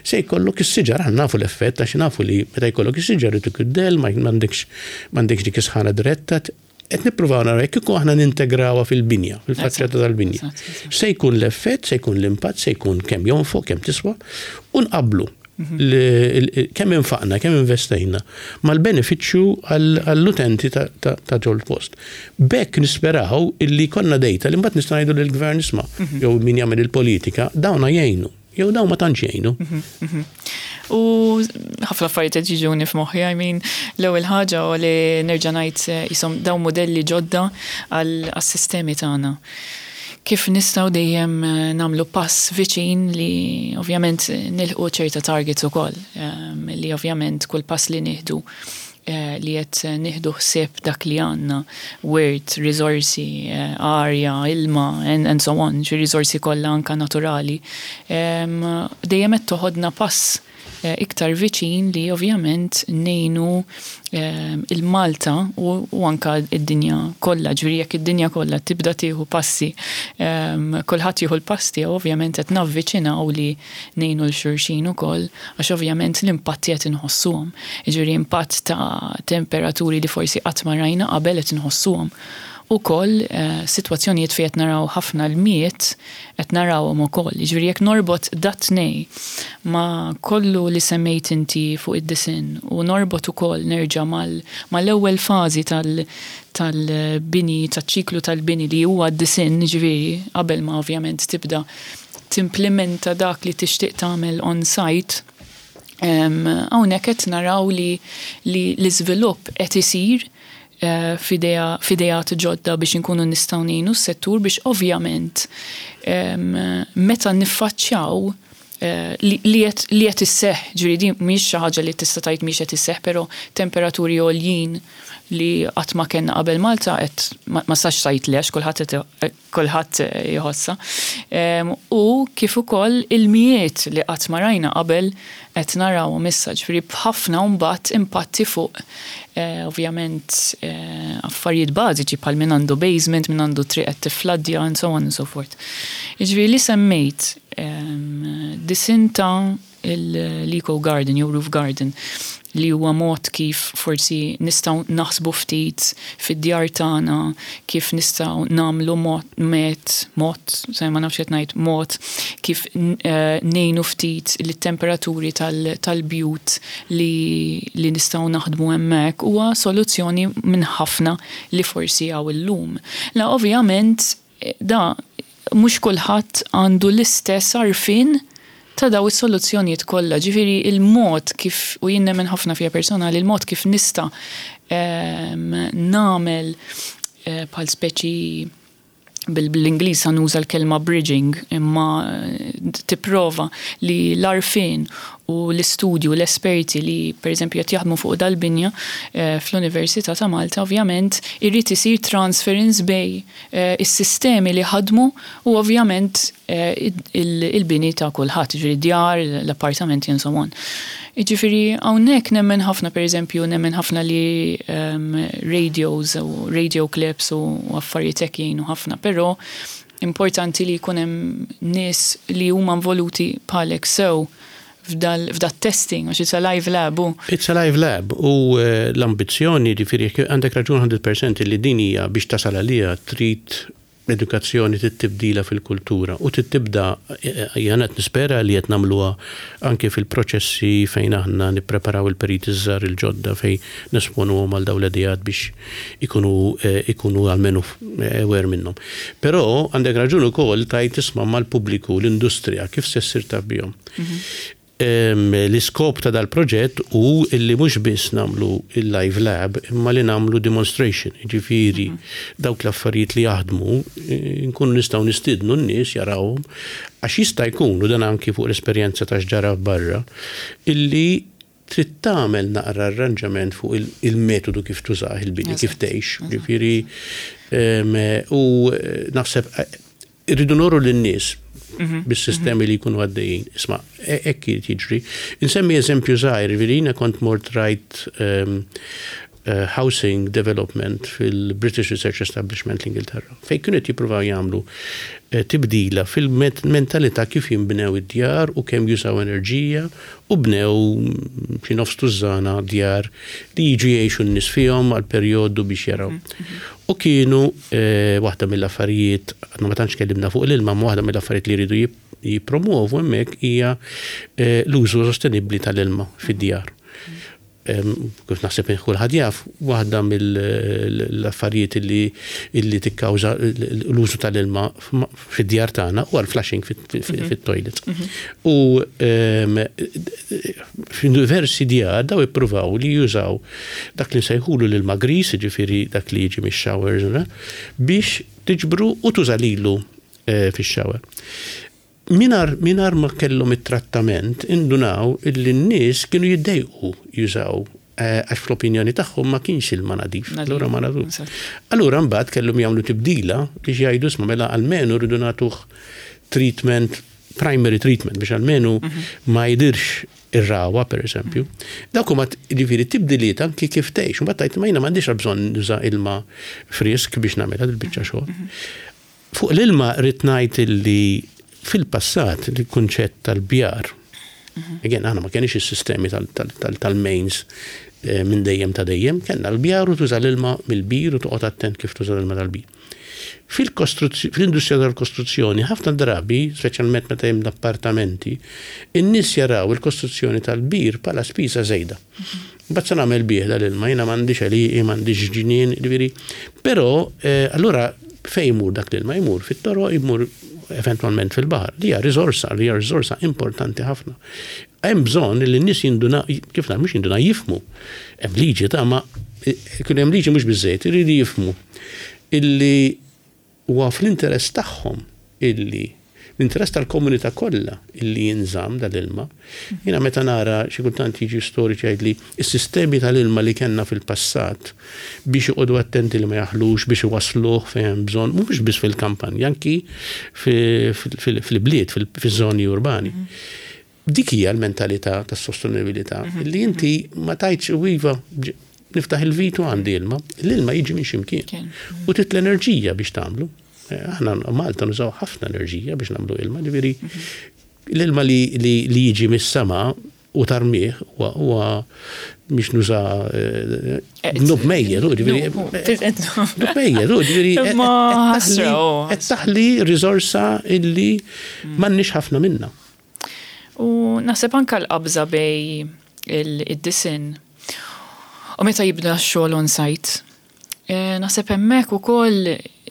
S2: se jkollok is-siġar, aħna nafu l-effett għax nafu li meta jkollok is-siġar ituk id-del, ma m'għandekx dik is-sħana diretta. Qed nippruvaw naraw jekk kieku aħna nintegrawha fil-binja, fil-faċċata tal-binja. Se jkun l-effett, se jkun l-impatt, se jkun kemm jonfoq, kemm tiswa, u nqablu kemm infaqna, kemm investejna mal-benefiċċju għall-utenti ta' ġol post. B'hekk nisperaw illi konna data li mbagħad nista' ngħidu lill-gvern isma' jew min jagħmel il-politika, dawna jgħinu, jew dawn ma tantx jgħinu.
S1: U ħafna affarijiet qed jiġuni f'moħħi, I mean, l-ewwel ħaġa u li nerġa' ngħid jisom dawn modelli ġodda għas-sistemi tagħna. Kif nistgħu dejjem nagħmlu pass viċin li ovvjament nilħqu ċerta targets ukoll, li ovvjament kull pass li nieħdu li qed nieħdu ħsieb dak li għandna, wirt, riżorsi, arja, ilma, and so on, xi riżorsi kollha anka naturali, dejjem qed toħodna pass iktar viċin li ovvjament ngħinu il-Malta u anka id-dinja kollha, ġifieri jekk id-dinja kollha tibda tieħu passi, kulħadd jieħu l-pass tiegħu, ovvjament qed navviċinaw li ngħinu 'l xulxin ukoll għax ovvjament l-impatti qed inħossuhom. Jiġifieri impatt ta' temperaturi li forsi qatt ma rajna qabel qed inħossuhom. Ukoll sitwazzjonijiet fejn qed naraw ħafna l-miet qed narawhom ukoll. Jiġifieri jekk norbot dat-tnej ma' kollu li semmejt inti fuq id-disinn u norbot ukoll nerġa' mal-ewwel fażi tal-bini, taċ-ċiklu tal-bini li huwa d-disinn, jiġifieri qabel ma ovvjament tibda timplementa dak li tixtieq tagħmel on site, hawnhekk qed naraw li l-iżvilupp qed isir f'ideat ġodda biex inkunu nistgħu ngħinu s-settur biex ovvjament meta niffaċċjaw li qed isseħħ, ġifieri din mhix xi ħaġa li tista' tgħid mhix qed isseħħ, però temperaturi għoljin li qatt ma kellna qabel Malta qed ma tistax tgħid le għax kulħadd jħossha. U kif ukoll il-mijiet li qatt ma rajna qabel qed narawhom issa, ġifieri b'ħafna mbagħad impatti fuq ovvjament affarijiet bażiċi bħal min għandu basement, min għandu triq qed tiffladdja and so on and so forth. Jiġifieri li semmejt disinn ta' l-eco garden jew roof garden li huwa mod kif forsi nistgħu naħsbu ftit fid-djar tagħna kif nistgħu nagħmlu mod met mod se ma nafx qed ngħid mod kif ngħinu ftit lit-temperaturi tal-bjut li nistgħu naħdmu hemmhekk huwa soluzzjoni minn ħafna li forsi hawn illum. La ovvjament da mhux kulħadd għandu l-istess għarfien ta' daw is-soluzzjonijiet kollha. Ġifieri il-mod kif, u jien nemmen ħafna fija personali, il-mod kif nista' nagħmel bħal speċi bil-Ingliż nuża l-kelma bridging, imma tipprova li l-għarfien u l-istudju, l-esperti li per eżempju qed jaħdmu fuq dal-binja fl-Università ta' Malta, ovvjament irrid isir transference bej is-sistemi li ħadmu u ovvjament il-bini ta' kulħadd, ġifieri djar, l-appartamenti and so on. Ġifieri hawnhekk nemmen ħafna, per eżempju, nemmen ħafna li radios u radio clips u affarijiet hekk jgħinu ħafna, però importanti li jkun hemm nies li huma involuti bħalek sew f'dat testing, għax it's a live lab. U.
S2: It's a live lab u l-ambizzjoni, ġifieri għandek raġun 100% li din hija biex tasal għalija trid edukazzjoni, tibdila fil-kultura u tibda jien qed nispera li qed nagħmluha anke fil-proċessi fejn aħna nippreparaw il-periti żgħar il-ġodda fejn nesponuhom għal dawn l-ideat biex ikunu almenu aware minnhom. Però għandek raġun ukoll tajt tisma' mal-pubbliku, l-industrija, kif se ssir taf bihom. L-iskop ta' dal-proġett hu illi mhux biss nagħmlu il-live lab imma li nagħmlu demonstration, jiġifieri dawk l-affarijiet li jaħdmu nkunu nistgħu nistiednu n-nies jarawhom għax jista' jkun, u dan anki fuq l-esperjenza ta' x'ġara barra, illi trid tagħmel naqra arranġament fuq il-metodu kif tużah il-bini, kif tgħix, jiġifieri u naħseb irridu nuru lin-nies bis-sistemi li jkunu għaddejjin. Isma', hekk irid jiġri. Insemmi eżempju żgħir, jiġifieri jiena kont mort rajt housing development fil-British Research Establishment l-Ingilterra, fejn kienu qed jippruvaw jagħmlu tibdila fil-mentalità kif jinbnew id-djar u kemm jużaw enerġija u bnew xi nofs tużżana djar li jiġu jgħixu n-nies fihom għal perjodu biex jaraw. U kienu waħda mill-affarijiet, għadna ma tantx tkellimna fuq l-ilma, ma waħda mill-affarijiet li jridu jippromuovu hemmhekk hija l-użu sostenibbli tal-ilma fid-djar. Kif naħseb kulħadd jaf, waħda mill-affarijiet li illi tikkawża l-użu tal-ilma fid-djar tagħna huwa l-flushing fit-toilet. U f'diversi djar daw ippruvaw li jużaw dak li nsejħulu l-ilma gris, jiġifieri dak li jiġi mix-showers, biex tiġbru u tuża lilu fix-shower. Mingħajr mingħajr ma kellhom it-trattament indunaw illi n-nies kienu jiddejqu jużaw għax fl-opinjoni tagħhom ma kienx ilma nadif. Allura ma nadif. Allura mbagħad kellhom jagħmlu tibdila biex jgħidu isma' mela almenu rridu nagħtuh treatment, primary treatment biex almenu ma jdirx ir-rawa per eżempju. Dawk huma jiġifieri tibdiliet anki kif tgħix. Mbagħad tgħid ma jiena m'għandix bżonn nuża ilma frisk biex nagħmilha dil-biċċa xogħol. Fuq l-ilma rrid ngħid illi fil-passat il-kunċett tal-bjar, again aħna ma kenniex is-sistemi tal-mains minn dejjem ta' dejjem, kellna l-bjar u tuża l-ilma mill-bir u toqgħod attent kif tuża l-ilma tal-bir. Fil-industrija tal-kostruzzjoni ħafna drabi, speċjalment meta hemm l-appartamenti, in-nies jaraw il-kostruzzjoni tal-bir bħala spiża żejda. Mbagħad se nagħmel bih dal-ilma, jiena m'għandix għelieqi, m'għandix ġnien, jiġifieri. Però allura fejn imur dak l-ilma? Imur fit-toroq, imur eventwalment fil-baħar, li hija riżorsa, li hija riżorsa importanti ħafna. Hemm bżonn li n-nies jinduna, kif ngħid, mhux jinduna, jifhmu. Hemm liġi ta' ma kien hemm liġi mhux biżżejjed, iridu jifhmu illi Huwa fl-interess tagħhom illi, l-interess tal-komunità kollha illi jinżamm dal-ilma. Jiena meta nara xi kultant jiġi storiċi jgħidli s-sistemi tal-ilma li kellna fil-passat biex joqogħdu attenti li ma jaħlux, biex iwassluh fejn hemm bżonn, mhux biss fil-kampanja, anki fil-bliet, fiż-żoni urbani. Dik hija l-mentalità tas-sostenibilità, li inti ma tgħidx u iva niftaħ il-vit u għandi ilma. L-ilma jiġi minn x'imkien. U trid l-enerġija biex tagħmlu. Aħna Malta nużaw ħafna enerġija biex nagħmlu ilma, ġifieri l-ilma li jiġi mis-sema u tarmih huwa biex nuża dnub mejjet, u ġifieri. Dnub mejjet, u ġifieri. Qed taħli riżorsa illi m'għandniex ħafna minnha.
S1: U naħseb anke l-qabża bej id-disinn u meta jibda x-xogħol on site. Naħseb hemmhekk ukoll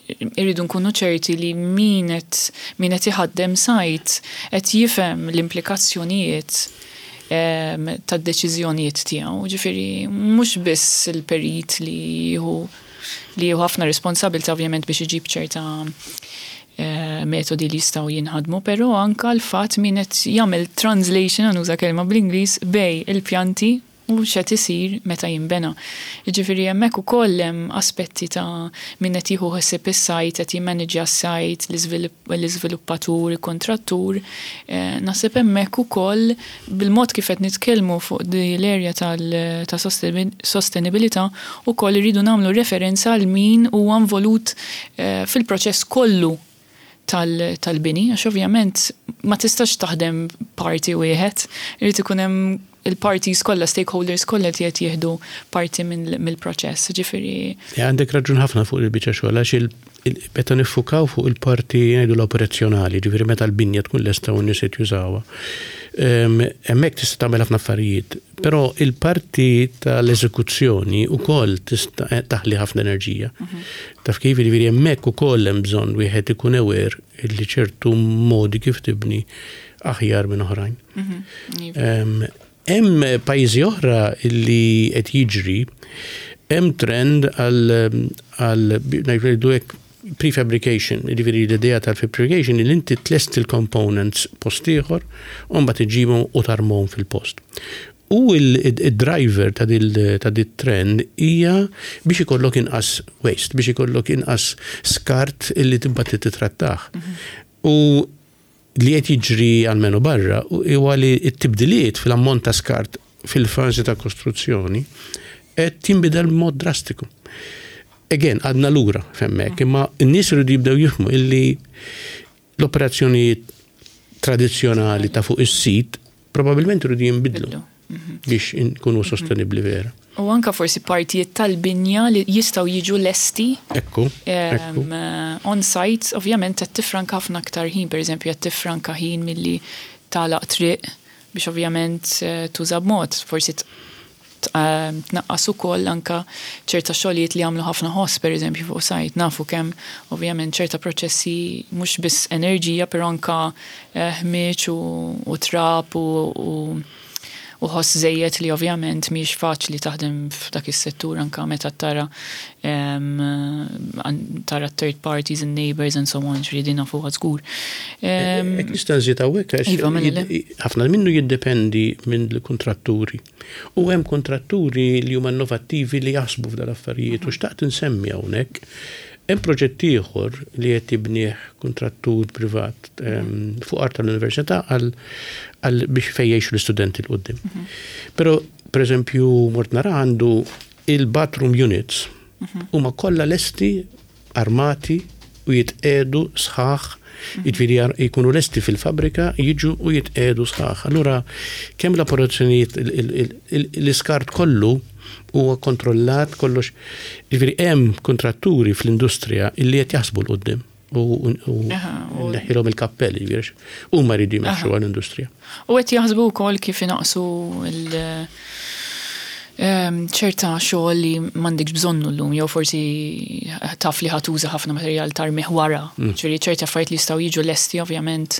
S1: irridu nkunu ċerti li min qed min qed iħaddem site qed jifhem l-implikazzjonijiet tad-deċiżjonijiet tiegħu. Ġifieri mhux biss il-perit li jieħu li jieħu ħafna responsabilità ovvjament biex iġib ċerta metodi li jistgħu jinħadmu, però anka l-fatt min qed jagħmel translation, ħa nuża kelma bl-Ingliż, bejn il-pjanti u x'qed isir meta jinbena. Jiġifieri hemmhekk ukoll hemm aspetti ta' min qed jieħu ħsieb is-sajt, qed jimmaniġġja s-sajt, l-iżviluppatur, il-kuntrattur. Naħseb hemmhekk ukoll bil-mod kif qed nitkellmu fuq di l-area ta' sostenibilità ukoll irridu nagħmlu referenza għal min huwa involut fil-proċess kollu tal-bini għax ovvjament ma tistax taħdem parti wieħed, irid ikun hemm il-parties kollha, stakeholders kollha li qed jieħdu parti mill-proċess, ġifieri.
S2: Għandek raġun ħafna fuq il-biċċa xogħol għax meta niffukaw fuq il-parti ngħidu l-operazzjonali, ġifieri meta l-binja tkun lesta u n-nies qed jużawha. Hemmhekk tista' tagħmel ħafna affarijiet, però il-parti tal-eżekuzzjoni wkoll tista' taħli ħafna enerġija. Taf kif, jiġifieri hemmhekk ukoll hemm bżonn wieħed ikun aware li ċertu modi kif tibni. aħjar minn oħrajn. Hemm pajjiżi oħra li qed jiġri, hemm trend għal għal ngħidu hekk prefabrication, jiġifieri l-idea tal-prefabrication li inti tlesti l-components post ieħor u mbagħad iġibhom u tarmhom fil-post. U il-driver ta' dit-trend hija biex ikollok inqas waste, biex ikollok inqas skart illi tibgħat titrattah. U li qed jiġri almenu barra huwa li t-tibdiliet fil-ammont ta' skart fil-fażi ta' kostruzzjoni qed jinbidel b'mod drastiku. Again, għadna lura f'hemmhekk, imma n-nies iridu jibdew jifhmu illi l-operazzjonijiet tradizzjonali ta' fuq is-sit probabbilment iridu jinbidlu biex inkunu sostenibbli vera.
S1: U anka forsi partijiet tal-binja li jistgħu jiġu lesti.
S2: Ekku.
S1: Ekku. On site, ovvjament qed tifranka ħafna aktar ħin, pereżempju qed tifranka ħin milli tagħlaq triq biex ovvjament tuża b'mod, forsi tnaqqas ukoll anka ċerta xogħlijiet li jagħmlu ħafna ħoss pereżempju fuq site. Nafu kemm ovvjament ċerta proċessi mhux biss enerġija però anka ħmieġ u trab u u ħoss żejjed li ovvjament mhijiex faċli taħdem f'dak is-settur anka meta tara tara third parties and neighbors and so on, ġifieri din nafuha żgur.
S2: Jekk nista' nżid hawnhekk għax
S1: Iva, mela le.
S2: ħafna minnu jiddependi minn kontratturi. U hemm kontratturi li huma innovattivi li jaħsbu f'dal affarijiet u xtaqt insemmi hawnhekk. Hemm proġett ieħor li qed jibnieh kontrattur privat fuq art tal-università għal biex fejn jgħixu l-istudenti 'l quddiem. Però pereżempju mort nara għandu il-bathroom units huma kollha lesti armati u jitqiegħdu sħaħ, jiġifieri jkunu lesti fil-fabbrika, jiġu u jitqiegħdu sħaħ. Allura kemm l-operazzjonijiet l-iskart kollu huwa kontrollat kollox. Jiġifieri hemm kontratturi fl-industrija illi qed jaħsbu 'l quddiem u neħħilhom il-kappell, jiġifieri huma jridu jmexxu għall-industrija.
S1: U qed jaħsbu wkoll kif inaqsu ċerta xogħol li m'għandekx bżonnu llum jew forsi taf li ħa tuża ħafna materjal tarmih wara. Ġifieri ċerti affarijiet li jistgħu jiġu lesti ovvjament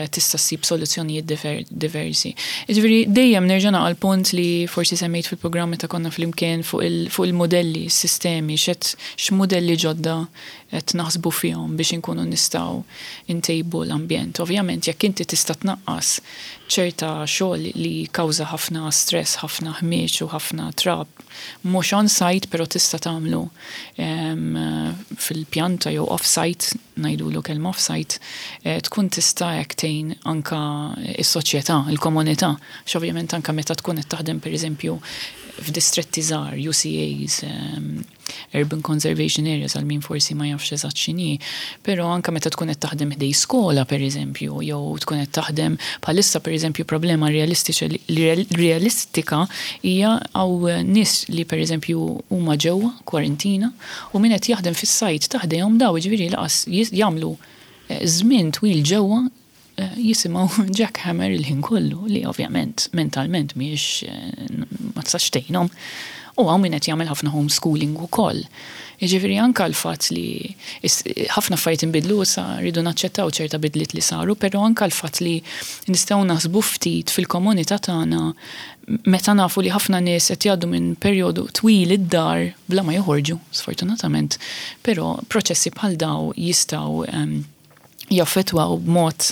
S1: tista' ssib soluzzjonijiet diversi. Jiġifieri dejjem nerġa' naqa' l-punt li forsi semmejt fil-programm meta konna flimkien fuq il-modelli, s-sistemi, x'qed x'mudelli ġodda qed naħsbu fihom biex inkunu nistgħu ntejbu l-ambjent. Ovvjament jekk inti tista' tnaqqas ċerta xogħol li jikkawża ħafna stress, ħafna ħmieġ u ħafna trab, mhux on site però tista' tagħmlu fil-pjanta jew off site, ngħidulu kelma off site, tkun tista' hekk tgħin anka s-soċjetà, il-komunità. Għax ovvjament anka meta tkun qed taħdem pereżempju f'distretti żgħar, UCAs, Urban Conservation Areas għal min forsi ma jafx eżatt x'inhi, però anke meta tkun qed taħdem ħdej skola pereżempju jew tkun qed taħdem bħalissa pereżempju problema realistika hija hawn nies li pereżempju huma ġewwa kwarantina u min qed jaħdem fis-sajt ta' ħdejhom daw jiġifieri laqas jagħmlu żmien twil ġewwa jisimgħu jackhammer il-ħin kollu li ovvjament mentalment mhijiex ma tistax tgħinhom. U hawn min qed jagħmel ħafna homeschooling ukoll. Jiġifieri anke l-fatt li ħafna affarijiet inbidlu issa rridu naċċettaw ċerta bidliet li saru, però anke l-fatt li nistgħu naħsbu ftit fil-komunità tagħna meta nafu li ħafna nies qed jgħaddu minn perjodu twil id-dar bla ma joħorġu, sfortunatament, però proċessi bħal daw jistgħu jaffettwaw b'mod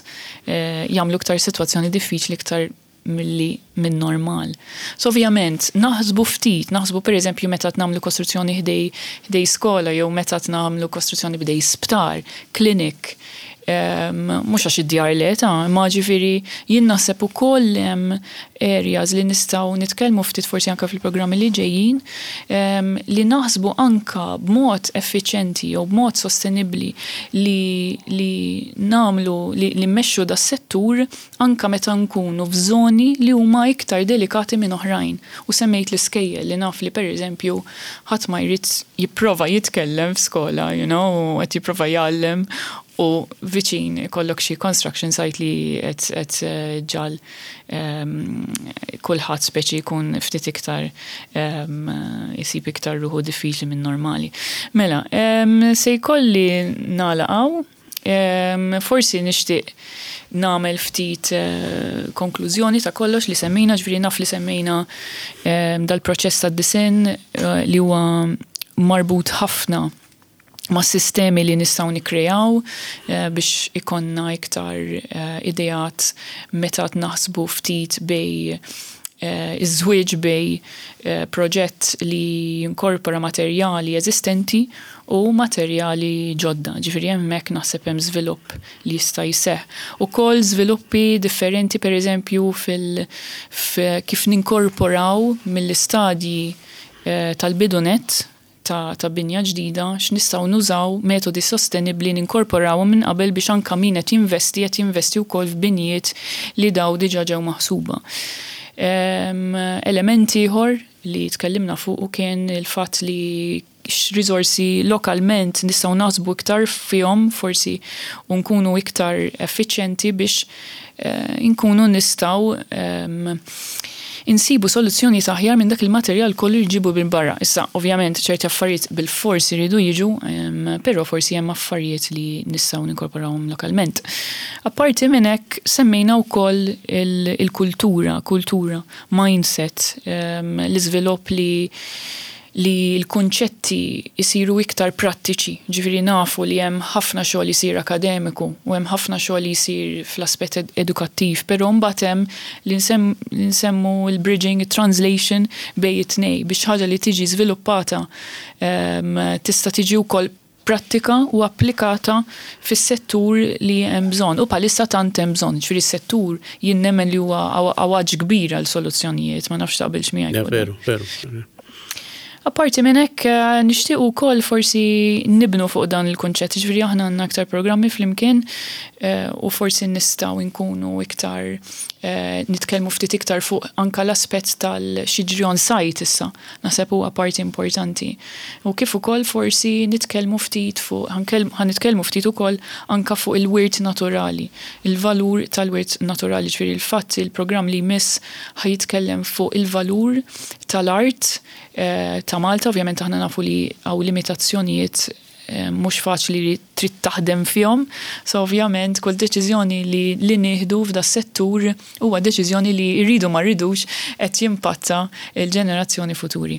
S1: jagħmlu iktar sitwazzjoni diffiċli iktar milli minn normal. So ovvjament naħsbu ftit, naħsbu pereżempju meta qed nagħmlu kostruzzjoni ħdej ħdej skola jew meta qed nagħmlu kostruzzjoni bdej sptar, clinic, mhux għax id-djar le ta' imma ġifieri jien naħseb ukoll hemm areas li nistgħu nitkellmu ftit forsi anke fil-programmi li ġejjin li naħsbu anke b'mod effiċjenti jew b'mod sostenibbli li li nagħmlu li li mmexxu das-settur anke meta nkunu f'żoni li huma iktar delikati minn oħrajn. U semmejt l-iskejjel li naf li pereżempju ħadd ma jrid jipprova jitkellem f'skola, you know, u qed jipprova jgħallem u viċin ikollok xi construction site li qed qed ġal kulħadd speċi jkun ftit iktar isib iktar ruħu diffiċli minn normali. Mela, se jkolli nagħlaq hawn. Forsi nixtieq nagħmel ftit konklużjoni ta' kollox li semmejna, ġifieri naf li semmejna dal-proċess tad-disinn li huwa marbut ħafna ma' sistemi li nistgħu nikkreaw biex ikollna iktar ideat meta naħsbu ftit bejn iż-żwieġ bejn proġett li jinkorpora materjali eżistenti u materjali ġodda. Ġifieri hemmhekk naħseb hemm żvilupp li jista' jseħħ. Ukoll żviluppi differenti, pereżempju, fil kif ninkorporaw mill-istadji tal-bidu nett ta' binja ġdida x'nistgħu nużaw metodi sostenibbli, ninkorporawhom minn qabel biex anke min qed jinvesti qed jinvesti wkoll f'binjiet li daw diġà ġew maħsuba. Element ieħor li tkellimna fuqu kien il-fatt li x'riżorsi lokalment nistgħu naħsbu iktar fihom forsi u nkunu iktar effiċjenti biex inkunu nistgħu insibu soluzzjoni aħjar minn dak il-materjal kollu li ġibu minn barra. Issa, ovvjament, ċerti affarijiet bil-forsi jridu jiġu, però forsi hemm affarijiet li nistgħu ninkorporawhom lokalment. Apparti minn hekk, semmejna wkoll il-kultura, kultura, mindset, l-iżvilupp li l-kunċetti jisiru iktar prattiċi, ġifieri nafu li hemm ħafna xogħol jisir akademiku u hemm ħafna xogħol jisir fl-aspett edukattiv, però mbagħad hemm li nsemmu l-bridging, translation bejn it-tnejn biex ħaġa li tiġi żviluppata tista' tiġi wkoll prattika u applikata fis-settur li hemm bżonn. U bħalissa tant hemm bżonn, ġifieri s-settur jien nemmen li huwa għawaġ kbir għal soluzzjonijiet, ma nafx taqbilx miegħi.
S2: Veru, veru.
S1: Apparti minn hekk, nixtieq ukoll forsi nibnu fuq dan il-kunċett, ġifieri aħna għandna aktar programmi flimkien u forsi nistgħu nkunu iktar nitkellmu ftit iktar fuq anka l-aspett tal-x'jiġri on site issa, naħseb huwa parti importanti. U kif ukoll forsi nitkellmu ftit fuq, ħa nitkellmu ftit ukoll anka fuq il-wirt naturali, il-valur tal-wirt naturali, ġifieri il-fatt il-programm li jmiss ħa jitkellem fuq il-valur tal-art ta' Malta. Ovvjament aħna nafu li hawn limitazzjonijiet mhux faċli li trid taħdem fihom, so ovvjament kull deċiżjoni li nieħdu f'da settur huwa deċiżjoni li, rridu ma rridux, qed jimpatta l-ġenerazzjoni futuri.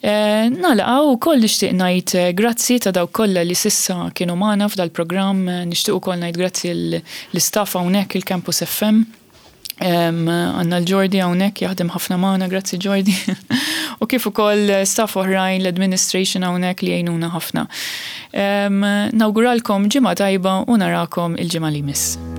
S1: Nagħlaq ukoll nixtieq ngħid grazzi ta' dawk kollha li s'issa kienu magħna f'dal-programm, nixtieq ukoll ngħid grazzi l-istaff hawnhekk il-Campus FM. Għandna l-Jordi hawnhekk jaħdem ħafna magħna, grazzi Jordi. U kif ukoll staff oħrajn, l-administration hawnhekk li jgħinuna ħafna. Nawguralkom ġimgħa tajba u narakom il-ġimgħa li jmiss.